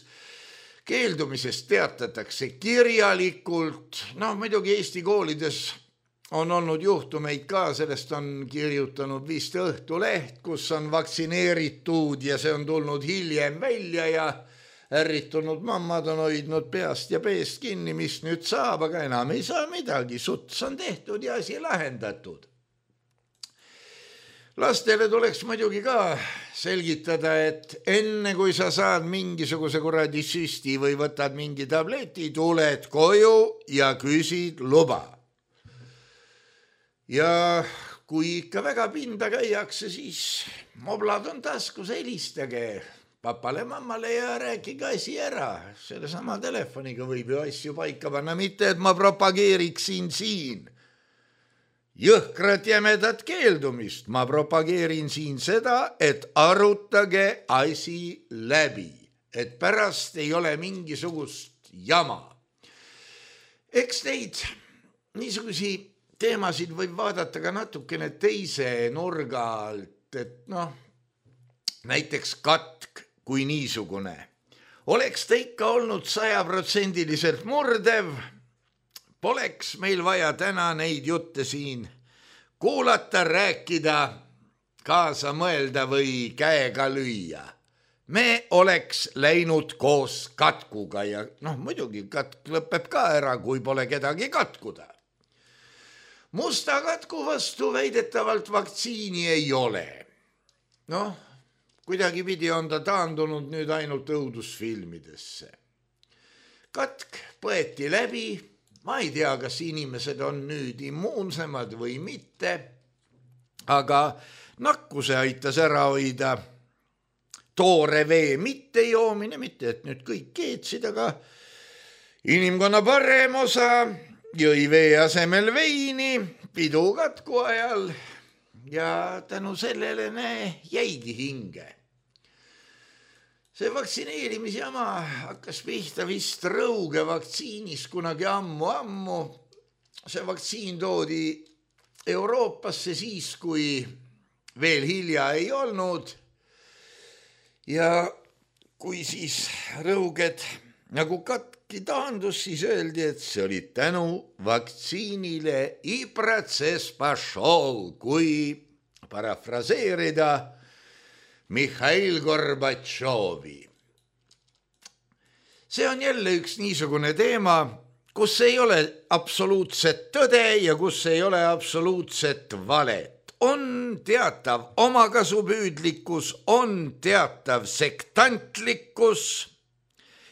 Keeldumisest teatatakse kirjalikult. No muidugi Eesti koolides on olnud juhtumeid ka, sellest on kirjutanud vist Õhtuleht, kus on vaktsineeritud ja see on tulnud hiljem välja ja ärritunud mammad on hoidnud peast ja peest kinni, mis nüüd saab, aga enam ei saa midagi, suts on tehtud ja asi lahendatud. Lastele tuleks muidugi ka selgitada, et enne kui sa saad mingisuguse kuradi süsti või võtad mingi tableti, tuled koju ja küsid luba. Ja kui ikka väga pinda käiakse, siis moblad on taskus, helistage papale, mammale ja rääkige asi ära. Selle sama telefoniga võib ju asju paika panna, mitte et ma propageeriksin siin jõhkrat jämedat keeldumist. Ma propageerin siin seda, et arutage asi läbi, et pärast ei ole mingisugust jama. Eks neid niisugusi teemasid võib vaadata ka natukene teise nurga alt, et noh, näiteks katk kui niisugune. Oleks ta ikka olnud sajaprotsendiliselt murdev, poleks meil vaja täna neid jutte siin kuulata, rääkida, kaasa mõelda või käega lüüa. Me oleks läinud koos katkuga ja noh, muidugi katk lõpeb ka ära, kui pole kedagi katkuda. Musta katku vastu väidetavalt vaktsiini ei ole. Noh, kuidagi pidi on ta taandunud nüüd ainult õudusfilmidesse. Katk põeti läbi, ma ei tea, kas inimesed on nüüd immuunsemad või mitte, aga nakkuse aitas ära hoida toore vee mitte joomine, mitte et nüüd kõik keetsid, aga inimkonna parem osa jõi vee asemel veini pidu katku ajal ja tänu sellele ne jäigi hinge. see vaktsineerimisjama hakkas pihta vist Rõuge vaktsiinis kunagi ammu-ammu. See vaktsiin toodi Euroopasse siis, kui veel hilja ei olnud. Ja kui siis Rõuged nagu katki taandus, siis öeldi, et see oli tänu vaktsiinile Ibratsespašov, kui parafraseerida Mihhail Gorbatšovi. See on jälle üks niisugune teema, kus ei ole absoluutset tõde ja kus ei ole absoluutset valet. On teatav omakasupüüdlikkus, on teatav sektantlikkus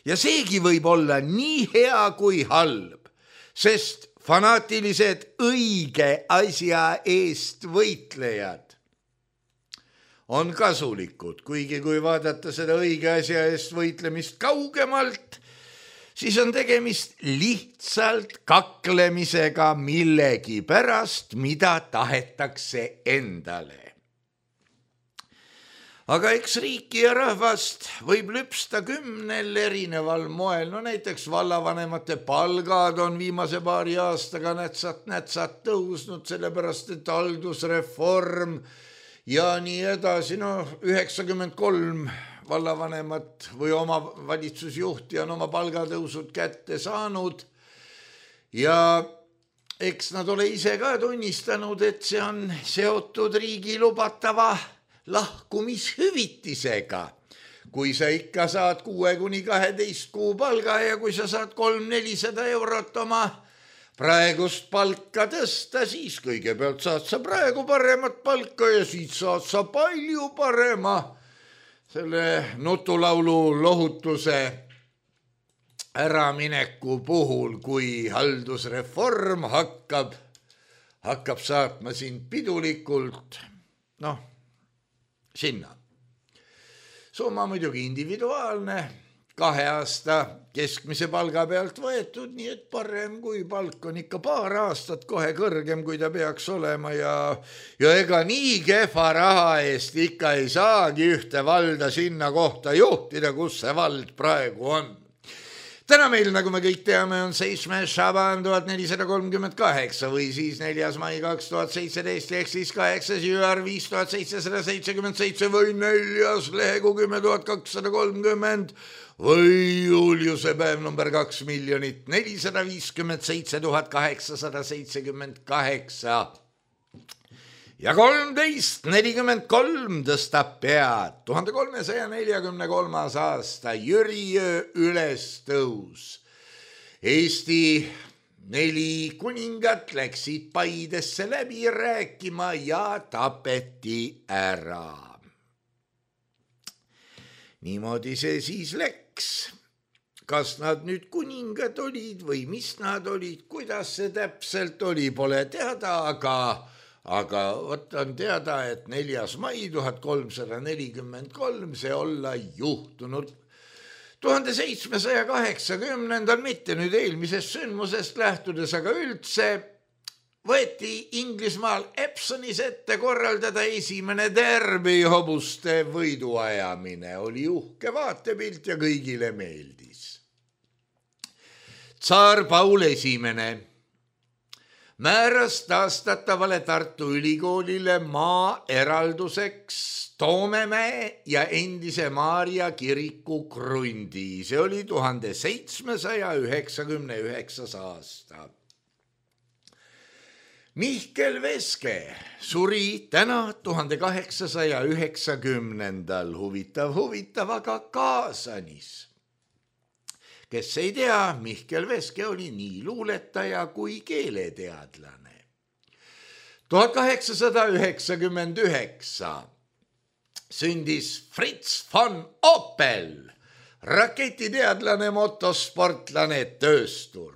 ja seegi võib olla nii hea kui halb, sest fanaatilised õige asja eest võitlejad on kasulikud, kuigi kui vaadata seda õige asja eest võitlemist kaugemalt, siis on tegemist lihtsalt kaklemisega millegi pärast, mida tahetakse endale. Aga eks riiki ja rahvast võib lüpsta kümnel erineval moel. No näiteks vallavanemate palgad on viimase paari aastaga nätsat-nätsat tõusnud, sellepärast et haldusreform ja nii edasi. No üheksakümmend kolm vallavanemat või oma valitsusjuhti on oma palgatõusud kätte saanud ja eks nad ole ise ka tunnistanud, et see on seotud riigi lubatava lahkumishüvitisega. Kui sa ikka saad kuue kuni kaheteist kuu palga ja kui sa saad kolm nelisada eurot oma praegust palka tõsta, siis kõigepealt saad sa praegu paremat palka ja siis saad sa palju parema selle nutulaulu lohutuse äramineku puhul, kui haldusreform hakkab, hakkab saatma sind pidulikult, noh, sinna. Summa muidugi individuaalne, kahe aasta keskmise palga pealt võetud, nii et parem kui palk on ikka paar aastat kohe kõrgem, kui ta peaks olema ja, ja ega nii kehva raha eest ikka ei saagi ühte valda sinna kohta juhtida, kus see vald praegu on. Täna meil, nagu me kõik teame, on seitsmes Šaban tuhat nelisada kolmkümmend kaheksa või siis neljas mai kaks tuhat seitseteist ehk siis kaheksas jüär viis tuhat seitsesada seitsekümmend seitse või neljas lehegu kümme tuhat kakssada kolmkümmend või Juliuse päev number kaks miljonit nelisada viiskümmend seitse tuhat kaheksasada seitsekümmend kaheksa. Ja kolmteist nelikümmend kolm tõstab pead. tuhande kolmesaja neljakümne kolmas aasta Jüriöö ülestõus. Eesti neli kuningat läksid Paidesse läbi rääkima ja tapeti ära. Niimoodi see siis läks. Kas nad nüüd kuningad olid või mis nad olid, kuidas see täpselt oli, pole teada, aga Aga võt on teada, et neljas mai tuhat kolmsada nelikümmend kolm see olla juhtunud. tuhande seitsmesaja kaheksakümnendal, mitte nüüd eelmisest sündmusest lähtudes, aga üldse võeti Inglismaal Epsonis ette korraldada esimene derbi hobuste võiduajamine. Oli uhke vaatepilt ja kõigile meeldis. Tsaar Paul esimene määras taastatavale Tartu Ülikoolile maa eralduseks Toomemäe ja endise Maarja kiriku krundi. See oli tuhande seitsmesaja üheksakümne üheksas aasta. Mihkel Veske suri täna tuhande kaheksasaja üheksakümnendal. Huvitav, huvitav, aga Kaasanis. Kes ei tea, Mihkel Veske oli nii luuletaja kui keeleteadlane. tuhat kaheksasada üheksakümmend üheksa sündis Fritz von Opel, raketiteadlane, motosportlane, tööstur.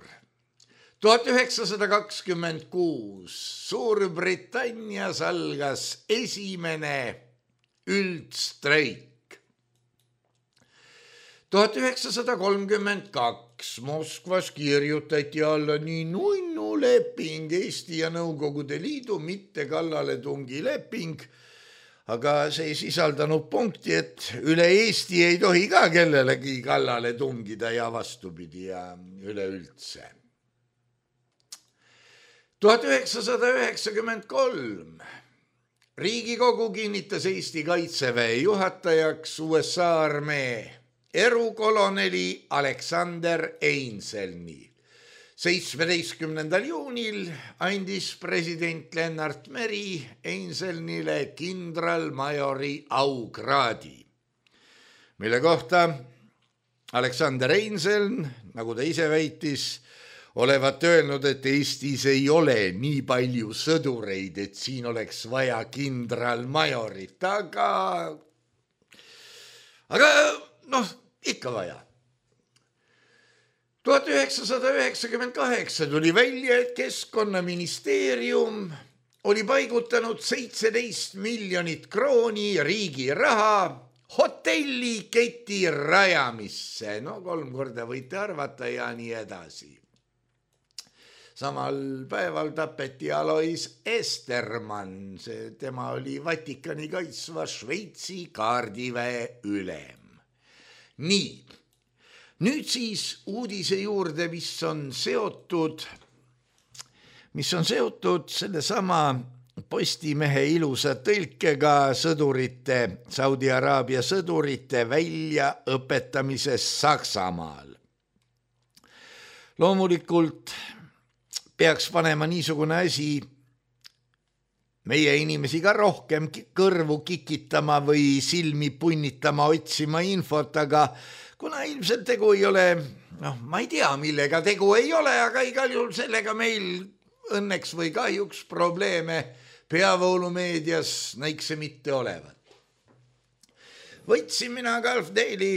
tuhat üheksasada kakskümmend kuus Suurbritannias algas esimene üldstreik. tuhat üheksasada kolmkümmend kaks Moskvas kirjutati alla nii nunnu leping, Eesti ja Nõukogude Liidu mitte kallaletungi leping, aga see ei sisaldanud punkti, et üle Eesti ei tohi ka kellelegi kallale tungida ja vastupidi ja üleüldse. tuhat üheksasada üheksakümmend kolm Riigikogu kinnitas Eesti kaitseväe juhatajaks U S A armee erukoloneli Alexander Einselni. seitsmeteistkümnendal juunil andis president Lennart Meri Einselnile kindralmajori aukraadi, mille kohta Alexander Einseln, nagu ta ise väitis, olevat öelnud, et Eestis ei ole nii palju sõdureid, et siin oleks vaja kindralmajorit, aga, aga noh, ikka vaja. tuhat üheksasada üheksakümmend kaheksa tuli välja, et Keskkonnaministeerium oli paigutanud seitseteist miljonit krooni riigi raha hotelliketi rajamisse. No kolm korda võite arvata ja nii edasi. Samal päeval tapeti Alois Estermann, see tema oli Vatikani kaitsva Šveitsi kaardiväe ülem. Nii, nüüd siis uudise juurde, mis on seotud, mis on seotud selle sama Postimehe ilusa tõlkega sõdurite, Saudi Araabia sõdurite väljaõpetamises Saksamaal. Loomulikult peaks panema niisugune asi meie inimesi ka rohkem kõrvu kikitama või silmi punnitama, otsima infot, aga kuna ilmselt tegu ei ole, noh, ma ei tea, millega tegu ei ole, aga igal juhul sellega meil õnneks või kahjuks probleeme peavoolumeedias näikse mitte olevat. Võtsin mina Gulf Daily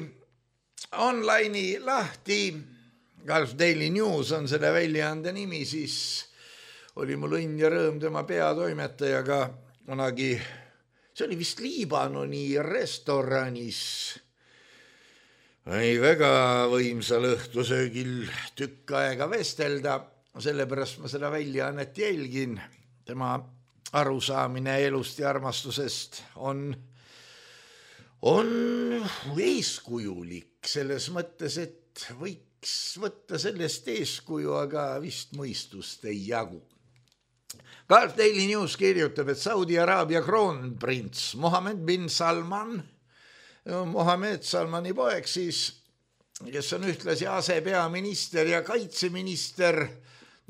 online'i lahti, Gulf Daily News on selle väljaande nimi, siis oli mul õnn ja rõõm tema peatoimetajaga kunagi, see oli vist Liibanoni restoranis, ei väga võimsal õhtusöögil tükk aega vestelda, sellepärast ma seda väljaannet jälgin. Tema arusaamine elust ja armastusest on, on eeskujulik selles mõttes, et võiks võtta sellest eeskuju, aga vist mõistust ei jagu. Gulf Daily News kirjutab, et Saudi Araabia kroonprints Mohammed bin Salman, Mohammed Salmani poeg siis, kes on ühtlasi asepeaminister ja kaitseminister,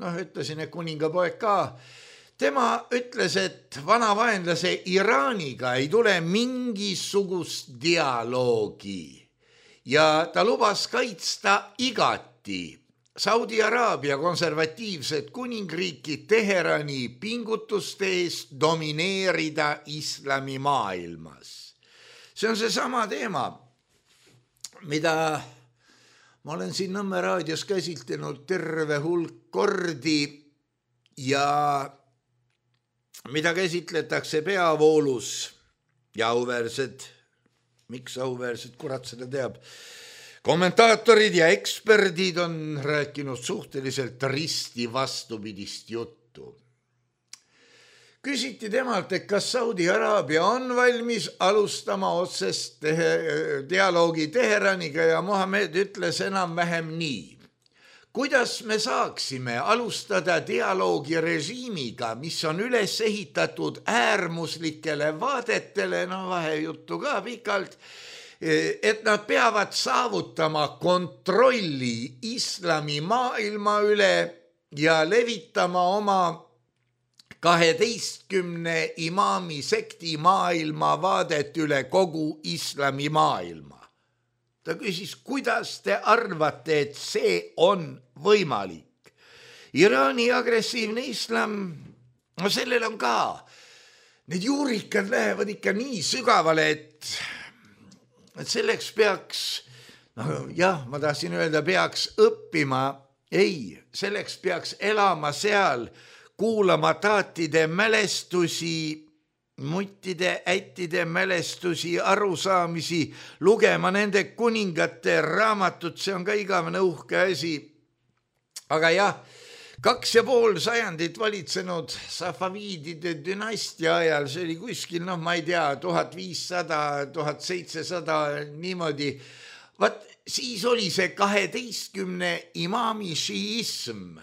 noh, ütlesin, et kuningapoeg ka, tema ütles, et vana vaenlase Iraaniga ei tule mingisugust dialoogi ja ta lubas kaitsta igati Saudi Araabia konservatiivset kuningriiki Teherani pingutuste eest domineerida islamimaailmas. See on see sama teema, mida ma olen siin Nõmme raadios käsitlenud terve hulk kordi ja mida käsitletakse peavoolus ja auväärsed, miks auväärsed, kurat seda teab, kommentaatorid ja eksperdid on rääkinud suhteliselt risti vastupidist juttu. Küsiti temalt, et kas Saudi Araabia on valmis alustama otsest tehe, dialoogi Teheraniga ja Mohammed ütles enam-vähem nii. Kuidas me saaksime alustada dialoogi režiimiga, mis on üles ehitatud äärmuslikele vaadetele, no vahejuttu ka pikalt, et nad peavad saavutama kontrolli islami maailma üle ja levitama oma kaheteistkümne imaami sekti maailma vaadet üle kogu islami maailma. Ta küsis, kuidas te arvate, et see on võimalik? Iraani agressiivne islam, no sellel on ka, need juurikad lähevad ikka nii sügavale, et, et selleks peaks, no jah, ma tahtsin öelda, peaks õppima, ei, selleks peaks elama seal, kuulama taatide mälestusi, muttide, ättide mälestusi, arusaamisi, lugema nende kuningate raamatut, see on ka igavene uhke asi. Aga jah, kaks ja pool sajandit valitsenud safaviidide dünastia ajal, see oli kuskil, noh, ma ei tea, tuhat viissada, tuhat seitsesada, niimoodi. Vaat siis oli see kaheteistkümne imaami šiism.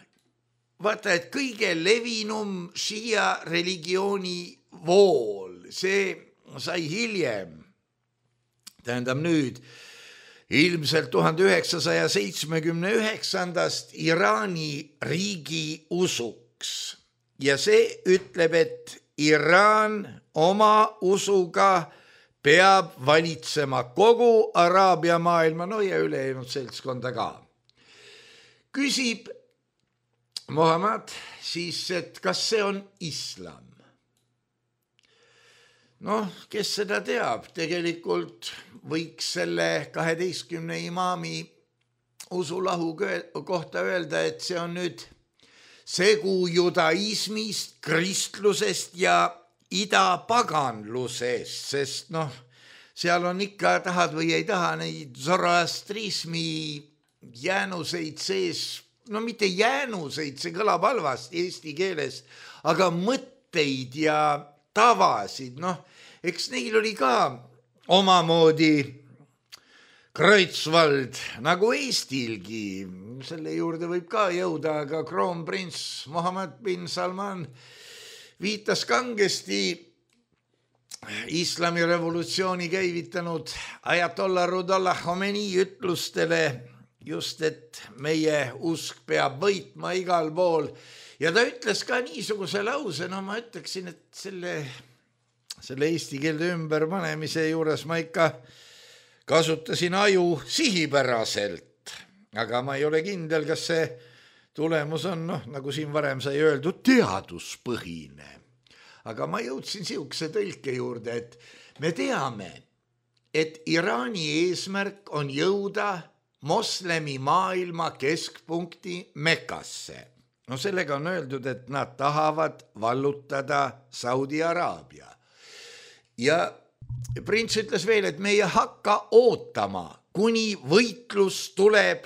Vaata, et kõige levinum šiia religiooni vool, see sai hiljem. Tähendab nüüd, ilmselt tuhande üheksasaja seitsmekümne üheksandast Iraani riigi usuks. Ja see ütleb, et Iraan oma usuga peab valitsema kogu Araabia maailma, no ja ülejäänud seltskonda ka. Küsib Muhamed siis, et kas see on islam? Noh, kes seda teab, tegelikult võiks selle kaheteistkümne imaami usulahu kohta öelda, et see on nüüd segu judaismist, kristlusest ja idapaganlusest, sest noh, seal on ikka, tahad või ei taha, neid zoroastrismi jäänuseid sees, no mitte jäänuseid, see kõlab halvasti eesti keeles, aga mõtteid ja tavasid, noh, eks neil oli ka omamoodi Kreutzwald nagu Eestilgi, selle juurde võib ka jõuda, aga kroonprints Mohammed bin Salman viitas kangesti islami revolutsiooni käivitanud Ajatollah Ruhollah Khomeini ütlustele just, et meie usk peab võitma igal pool. Ja ta ütles ka niisuguse lause, no ma ütleksin, et selle, selle eesti keelde ümber panemise juures ma ikka kasutasin aju sihipäraselt, aga ma ei ole kindel, kas see tulemus on, noh, nagu siin varem sai öeldud, teaduspõhine. Aga ma jõudsin siukse tõlke juurde, et me teame, et Iraani eesmärk on jõuda moslemi maailma keskpunkti Mekkasse. No sellega on öeldud, et nad tahavad vallutada Saudi Araabia. Ja prints ütles veel, et me ei hakka ootama, kuni võitlus tuleb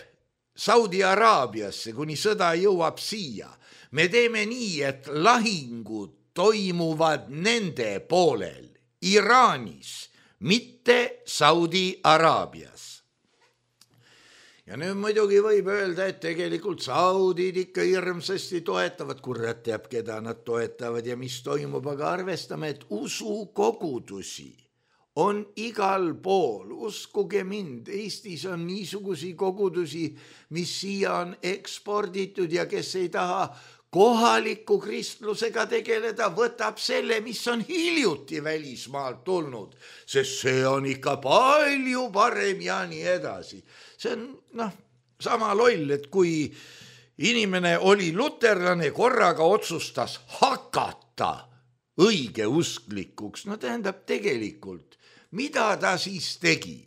Saudi Araabiasse, kuni sõda jõuab siia. Me teeme nii, et lahingud toimuvad nende poolel, Iraanis, mitte Saudi Araabias. Ja nüüd muidugi võib öelda, et tegelikult saudid ikka hirmsasti toetavad, kurat teab, keda nad toetavad ja mis toimub, aga arvestame, et usukogudusi on igal pool, uskuge mind, Eestis on niisugusi kogudusi, mis siia on eksporditud ja kes ei taha kohaliku kristlusega tegeleda, võtab selle, mis on hiljuti välismaalt tulnud, sest see on ikka palju parem ja nii edasi. See on noh, sama loll, et kui inimene oli luterlane, korraga otsustas hakata õigeusklikuks, no tähendab tegelikult, mida ta siis tegi?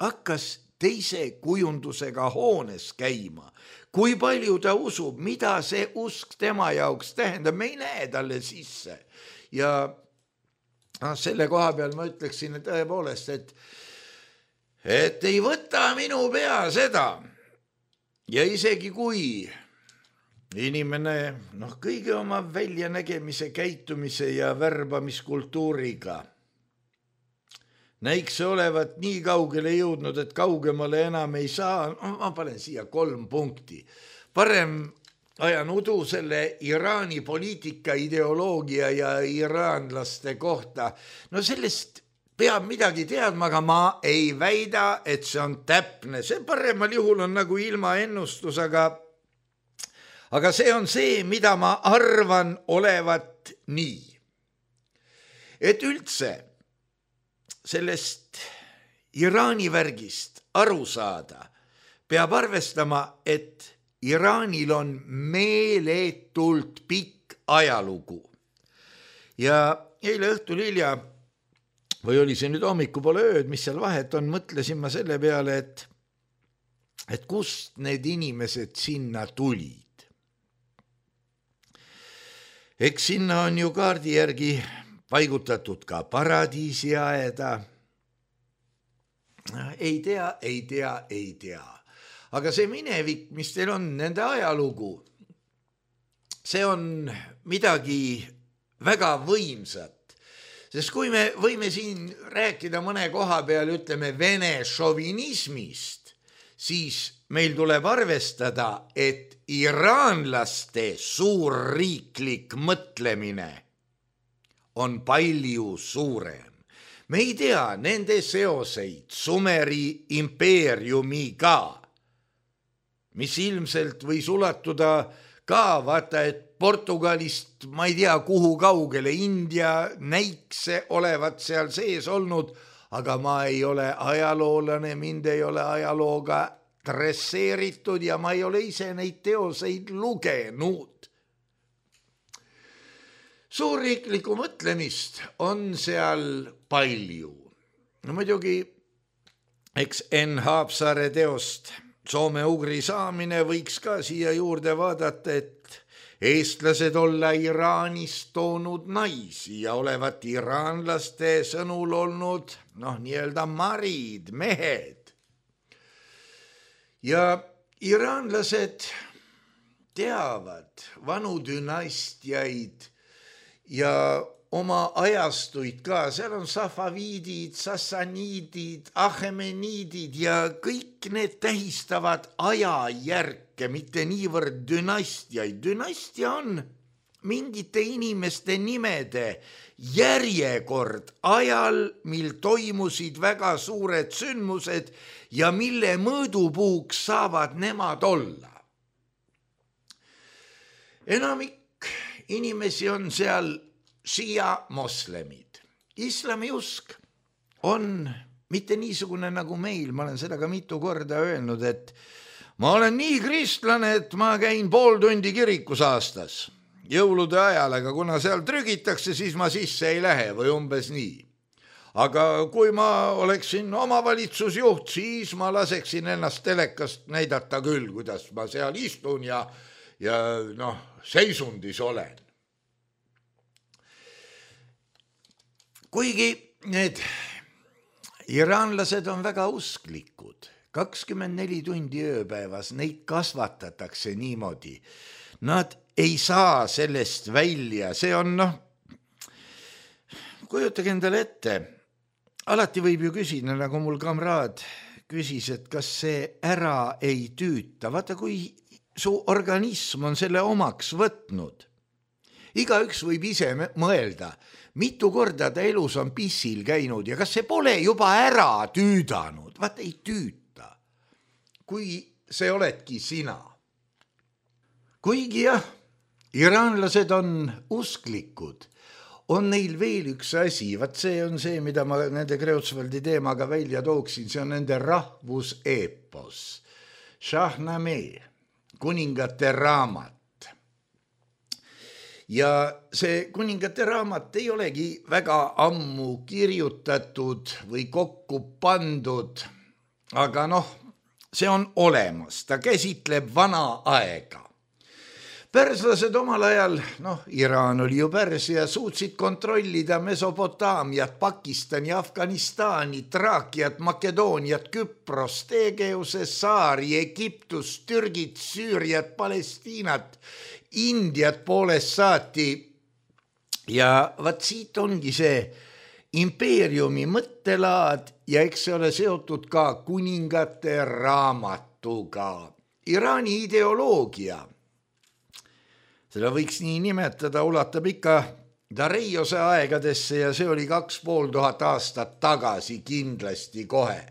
Hakkas teise kujundusega hoones käima. Kui palju ta usub, mida see usk tema jaoks tähendab, me ei näe talle sisse. Ja selle koha peal ma ütleksin et tõepoolest, et, et ei võta minu pea seda. Ja isegi kui inimene noh, kõige oma väljanägemise, käitumise ja värbamiskultuuriga näiks olevat nii kaugele jõudnud, et kaugemale enam ei saa, ma panen siia kolm punkti. Parem ajan udu selle Iraani poliitika, ideoloogia ja iraanlaste kohta. No sellest peab midagi teadma, aga ma ei väida, et see on täpne. See paremal juhul on nagu ilma ennustus, aga, aga see on see, mida ma arvan olevat nii. Et üldse sellest Iraani värgist aru saada, peab arvestama, et Iraanil on meeletult pikk ajalugu. Ja eile õhtul hilja, või oli see nüüd hommikupoole ööd, mis seal vahet on, mõtlesin ma selle peale, et, et kust need inimesed sinna tulid. Eks sinna on ju kaardi järgi paigutatud ka paradiisiaeda. Ei tea, ei tea, ei tea. Aga see minevik, mis teil on, nende ajalugu, see on midagi väga võimsat, sest kui me võime siin rääkida mõne koha peal, ütleme vene šovinismist, siis meil tuleb arvestada, et iraanlaste suurriiklik mõtlemine on palju suurem. Me ei tea nende seoseid Sumeri impeeriumiga, mis ilmselt võis ulatuda ka vaata, et Portugalist ma ei tea kuhu kaugele, India näikse olevat seal sees olnud, aga ma ei ole ajaloolane, mind ei ole ajalooga dresseeritud ja ma ei ole ise neid teoseid lugenud. Suurriiklikku mõtlemist on seal palju. No muidugi, eks Enn Haapsaare teost Soome-Ugri saamine võiks ka siia juurde vaadata, et eestlased olla Iraanist toonud naisi ja olevat iraanlaste sõnul olnud noh, nii-öelda marid, mehed. Ja iraanlased teavad vanu dünastiaid ja oma ajastuid ka, seal on safaviidid, sassaniidid, ahemeniidid ja kõik need tähistavad ajajärke, mitte niivõrd dünastiaid. Dünastia on mingite inimeste nimede järjekord ajal, mil toimusid väga suured sündmused ja mille mõõdupuuks saavad nemad olla. Enamik inimesi on seal šia moslemid. Islamiusk on mitte niisugune nagu meil, ma olen seda ka mitu korda öelnud, et ma olen nii kristlane, et ma käin pool tundi kirikus aastas jõulude ajal, aga kuna seal trügitakse, siis ma sisse ei lähe või umbes nii. Aga kui ma oleksin omavalitsusjuht, siis ma laseksin ennast telekast näidata küll, kuidas ma seal istun ja, ja noh, seisundis olen. Kuigi need iraanlased on väga usklikud, kakskümmend neli tundi ööpäevas, neid kasvatatakse niimoodi. Nad ei saa sellest välja, see on noh, kujutage endale ette, alati võib ju küsida, nagu mul kamraad küsis, et kas see ära ei tüüta, vaata kui su organism on selle omaks võtnud. Igaüks võib ise mõelda, mitu korda ta elus on pissil käinud ja kas see pole juba ära tüüdanud, vaata ei tüüta, kui see oledki sina. Kuigi jah, iraanlased on usklikud, on neil veel üks asi, vaat see on see, mida ma nende Kreutzwaldi teemaga välja tooksin, see on nende rahvuseepos, Shahnameh, kuningate raamat. Ja see kuningate raamat ei olegi väga ammu kirjutatud või kokku pandud, aga noh, see on olemas, ta käsitleb vana aega. Perslased omal ajal, noh, Iraan oli ju Persia, suutsid kontrollida Mesopotaamiat, Pakistani, Afganistani, Traakiat, Makedooniat, Küpros, Tegeuse saari, Egiptus, Türgit, Süüriat, Palestiinat, Indiat poolest saati. Ja vaat siit ongi see impeeriumi mõttelaad ja eks see ole seotud ka kuningate raamatuga. Iraani ideoloogia, seda võiks nii nimetada, ulatab ikka Dareiose aegadesse ja see oli kaks pool tuhat aastat tagasi kindlasti kohe.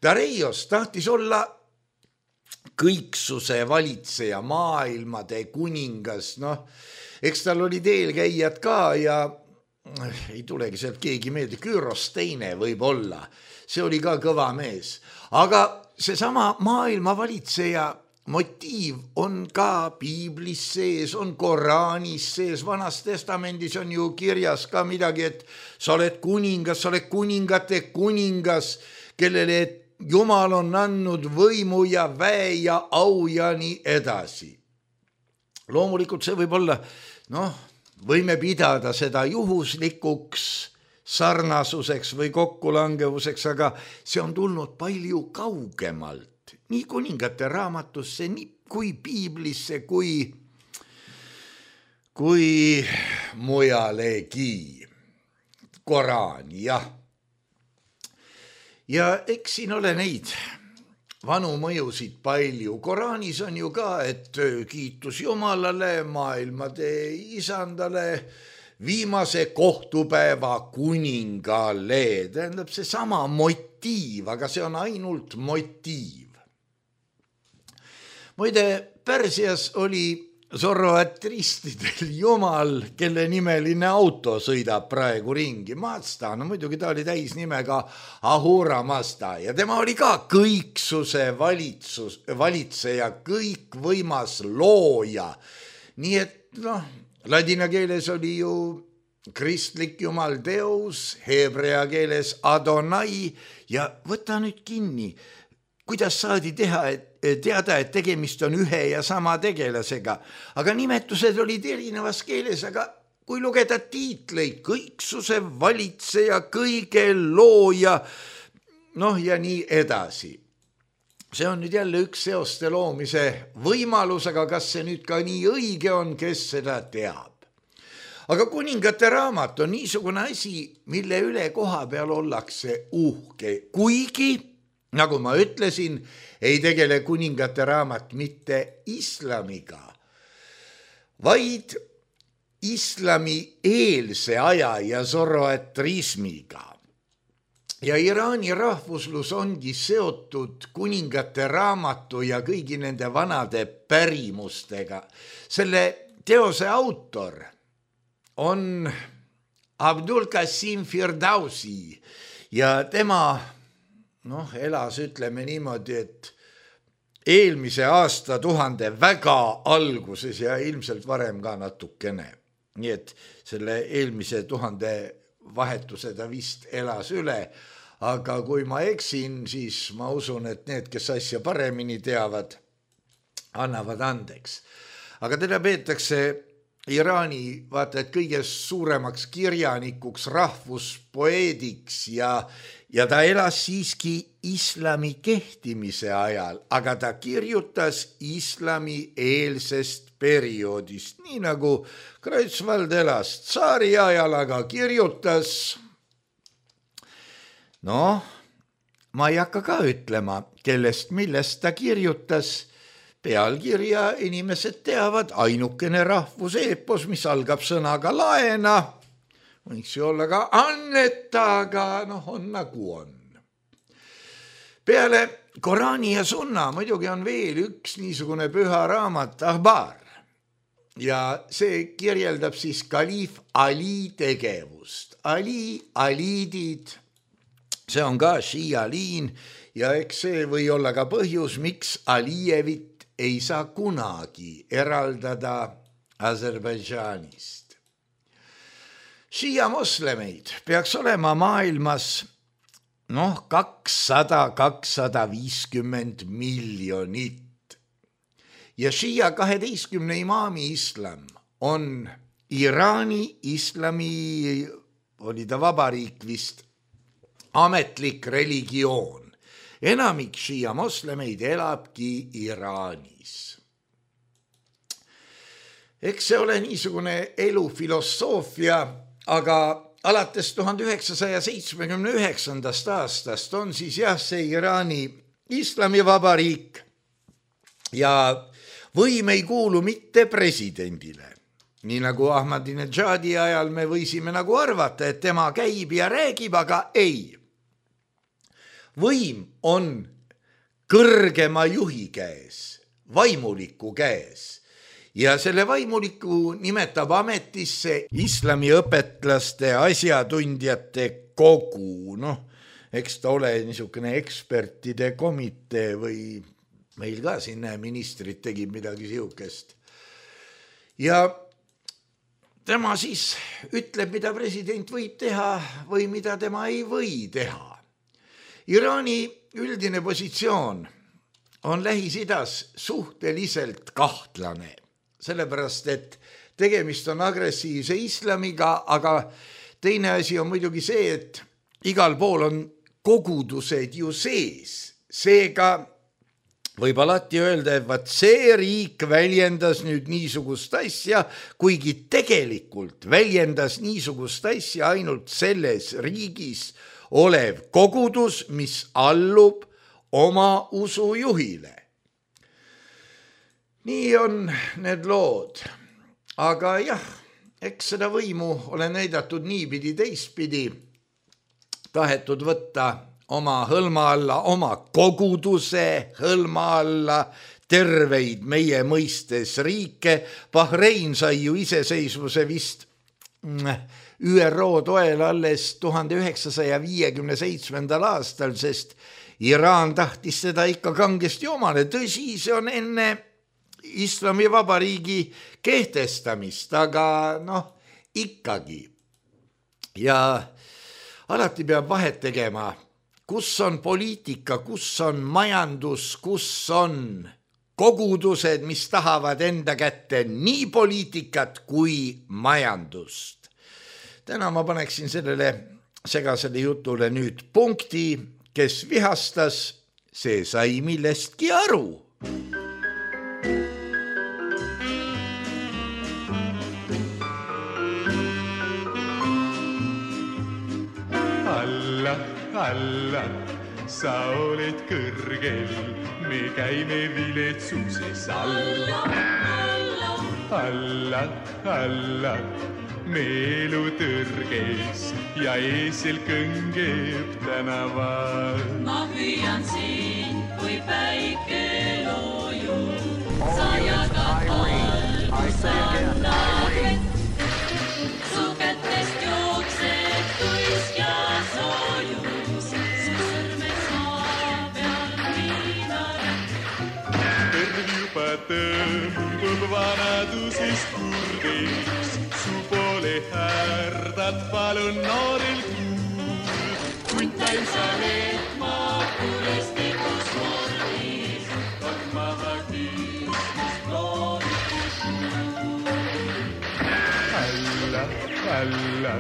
Dareios tahtis olla kõiksuse valitseja, maailmade kuningas, noh, eks tal oli eelkäijad ka ja ei tulegi sealt keegi meelde, Küüros teine võib olla, see oli ka kõva mees, aga seesama maailma valitseja motiiv on ka piiblis sees, on Koraanis sees, Vanas Testamendis on ju kirjas ka midagi, et sa oled kuningas, sa oled kuningate kuningas, kellele Jumal on andnud võimu ja väe ja au ja nii edasi. Loomulikult see võib olla, noh, võime pidada seda juhuslikuks sarnasuseks või kokkulangevuseks, aga see on tulnud palju kaugemalt. Nii kuningate raamatusse, nii kui piiblisse, kui kui mujalegi. Koraan, jah. Ja eks siin ole neid vanu mõjusid palju. Koraanis on ju ka, et kiitus Jumalale, maailmade isandale, viimase kohtupäeva kuningale. Tähendab see sama motiiv, aga see on ainult motiiv. Muide, Pärsias oli Zoroastristidel jumal, kelle nimeline auto sõidab praegu ringi. Mazda, no muidugi ta oli täis nimega Ahura Mazda ja tema oli ka kõiksuse valitsus, valitseja, kõikvõimas looja. Nii et noh, ladina keeles oli ju kristlik jumal Deus, heebrea keeles Adonai ja võta nüüd kinni, kuidas saadi teha, et teada, et tegemist on ühe ja sama tegelasega, aga nimetused olid erinevas keeles, aga kui lugeda tiitleid, kõiksuse valitseja, kõige looja, noh ja nii edasi. See on nüüd jälle üks seoste loomise võimalus, aga kas see nüüd ka nii õige on, kes seda teab. Aga kuningate raamat on niisugune asi, mille üle koha peal ollakse uhke, kuigi nagu ma ütlesin, ei tegele kuningate raamat mitte islamiga, vaid islami eelse aja ja zoroatrismiga. Ja Iraani rahvuslus ongi seotud kuningate raamatu ja kõigi nende vanade pärimustega. Selle teose autor on Abdul Qasim Firdausi ja tema noh, elas ütleme niimoodi, et eelmise aasta tuhande väga alguses ja ilmselt varem ka natukene. Nii et selle eelmise tuhande vahetuse ta vist elas üle, aga kui ma eksin, siis ma usun, et need, kes asja paremini teavad, annavad andeks. Aga teda peetakse Iraani vaata, et kõige suuremaks kirjanikuks, rahvuspoeediks ja, ja ta elas siiski islami kehtimise ajal, aga ta kirjutas islami eelsest perioodist, nii nagu Kreutzwald elas tsaari ajal, aga kirjutas, noh, ma ei hakka ka ütlema, kellest, millest ta kirjutas. Pealkirja inimesed teavad, ainukene rahvuseepos, mis algab sõnaga laena, võiks ju olla ka anneta, aga noh, on nagu on. Peale Koraani ja sunna muidugi on veel üks niisugune püha raamat, Ahbar. Ja see kirjeldab siis kaliif Ali tegevust. Ali, aliidid, see on ka šiialiin ja eks see või olla ka põhjus, miks Alijevit ei saa kunagi eraldada Aserbaidžaanist. Šiia moslemeid peaks olema maailmas noh, kakssada kuni kakssada viiskümmend miljonit. Ja šiia kaheteistkümne imaami islam on Iraani islami, oli ta vabariik vist, ametlik religioon. Enamik šiia moslemeid elabki Iraanis. Eks see ole niisugune elufilosoofia, aga alates tuhande üheksasaja seitsmekümne üheksandast aastast on siis jah see Iraani islamivabariik ja võim ei kuulu mitte presidendile. Nii nagu Ahmadinejadi ajal me võisime nagu arvata, et tema käib ja räägib, aga ei. Võim on kõrgema juhi käes, vaimuliku käes ja selle vaimuliku nimetab ametisse islamiõpetlaste asjatundjate kogu. Noh, eks ta ole niisugune ekspertide komitee või meil ka siin ministrid tegid midagi siukest. Ja tema siis ütleb, mida president võib teha või mida tema ei või teha. Iraani üldine positsioon on Lähis-Idas suhteliselt kahtlane, sellepärast et tegemist on agressiivse islamiga, aga teine asi on muidugi see, et igal pool on kogudused ju sees. Seega võib alati öelda, et vaat see riik väljendas nüüd niisugust asja, kuigi tegelikult väljendas niisugust asja ainult selles riigis olev kogudus, mis allub oma usujuhile. Nii on need lood, aga jah, eks seda võimu ole näidatud niipidi teistpidi, tahetud võtta oma hõlma alla, oma koguduse hõlma alla terveid meie mõistes riike. Bahrein sai ju iseseisvuse vist Ü R O toel alles tuhande üheksasaja viiekümne seitsmendal aastal, sest Iraan tahtis seda ikka kangesti omale. Tõsi, see on enne Islamivabariigi kehtestamist, aga noh, ikkagi. Ja alati peab vahet tegema, kus on poliitika, kus on majandus, kus on kogudused, mis tahavad enda kätte nii poliitikat kui majandust. Täna ma paneksin sellele segasele jutule nüüd punkti, kes vihastas, see sai millestki aru. Alla, alla, sa oled kõrgel, me käime viletsuses alla. Alla, alla, me elu tõrges ja eesel kõngeb tänaval. Ma hüüan siin, kui päike loojub, sa jagad valgus annad vett. Su kätest jookseb tuisk ja soojus, su sõrmed saa peal viinaret. Kõrv juba tõmbub vanadusest kurdeks, su poole härdad palun noorel kuul. Kuntain sa leetma kuristikus mordis, on maha kiistust loodikus kuul. Alla, alla,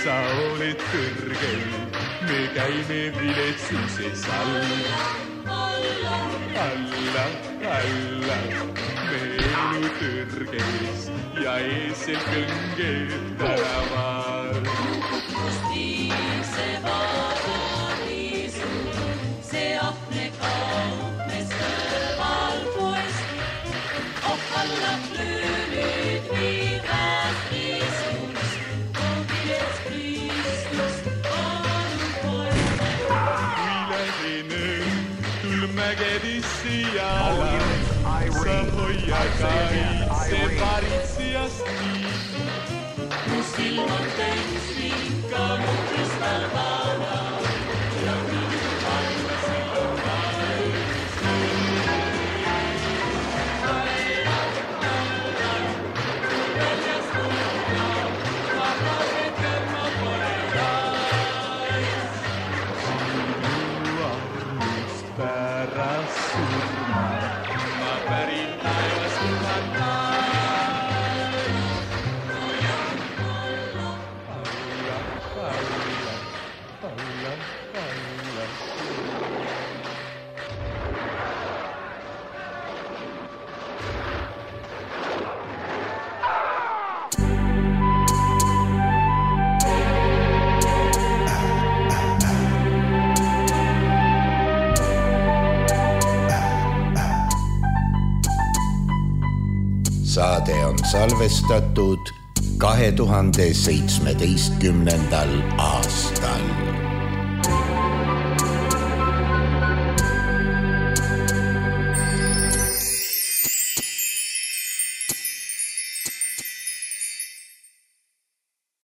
sa oled kõrgel, me käime viletsuses alla. Alla, alla, alla, me elu tõrges ja eesel kõngeb tänaval. Justiivse vabadiisu, see ahne kaupmes kõrval poest, ohkallab lüülid viivad riisus, kogiles Kristust anu poest. Kui lähen mägedisse jala, sa hoia kaitse varitsijast nii. Mu silm on täis vinka, mu kristalvana ja minu vaima silm vaid. Alla, alla, väljas kuulda, vabase kõrma pole rais. Pärast surma, ma pärin taevas kuhan taevas. Alla, alla, alla, alla, alla. Saade on salvestatud kahe tuhande seitsmeteistkümnendal aastal.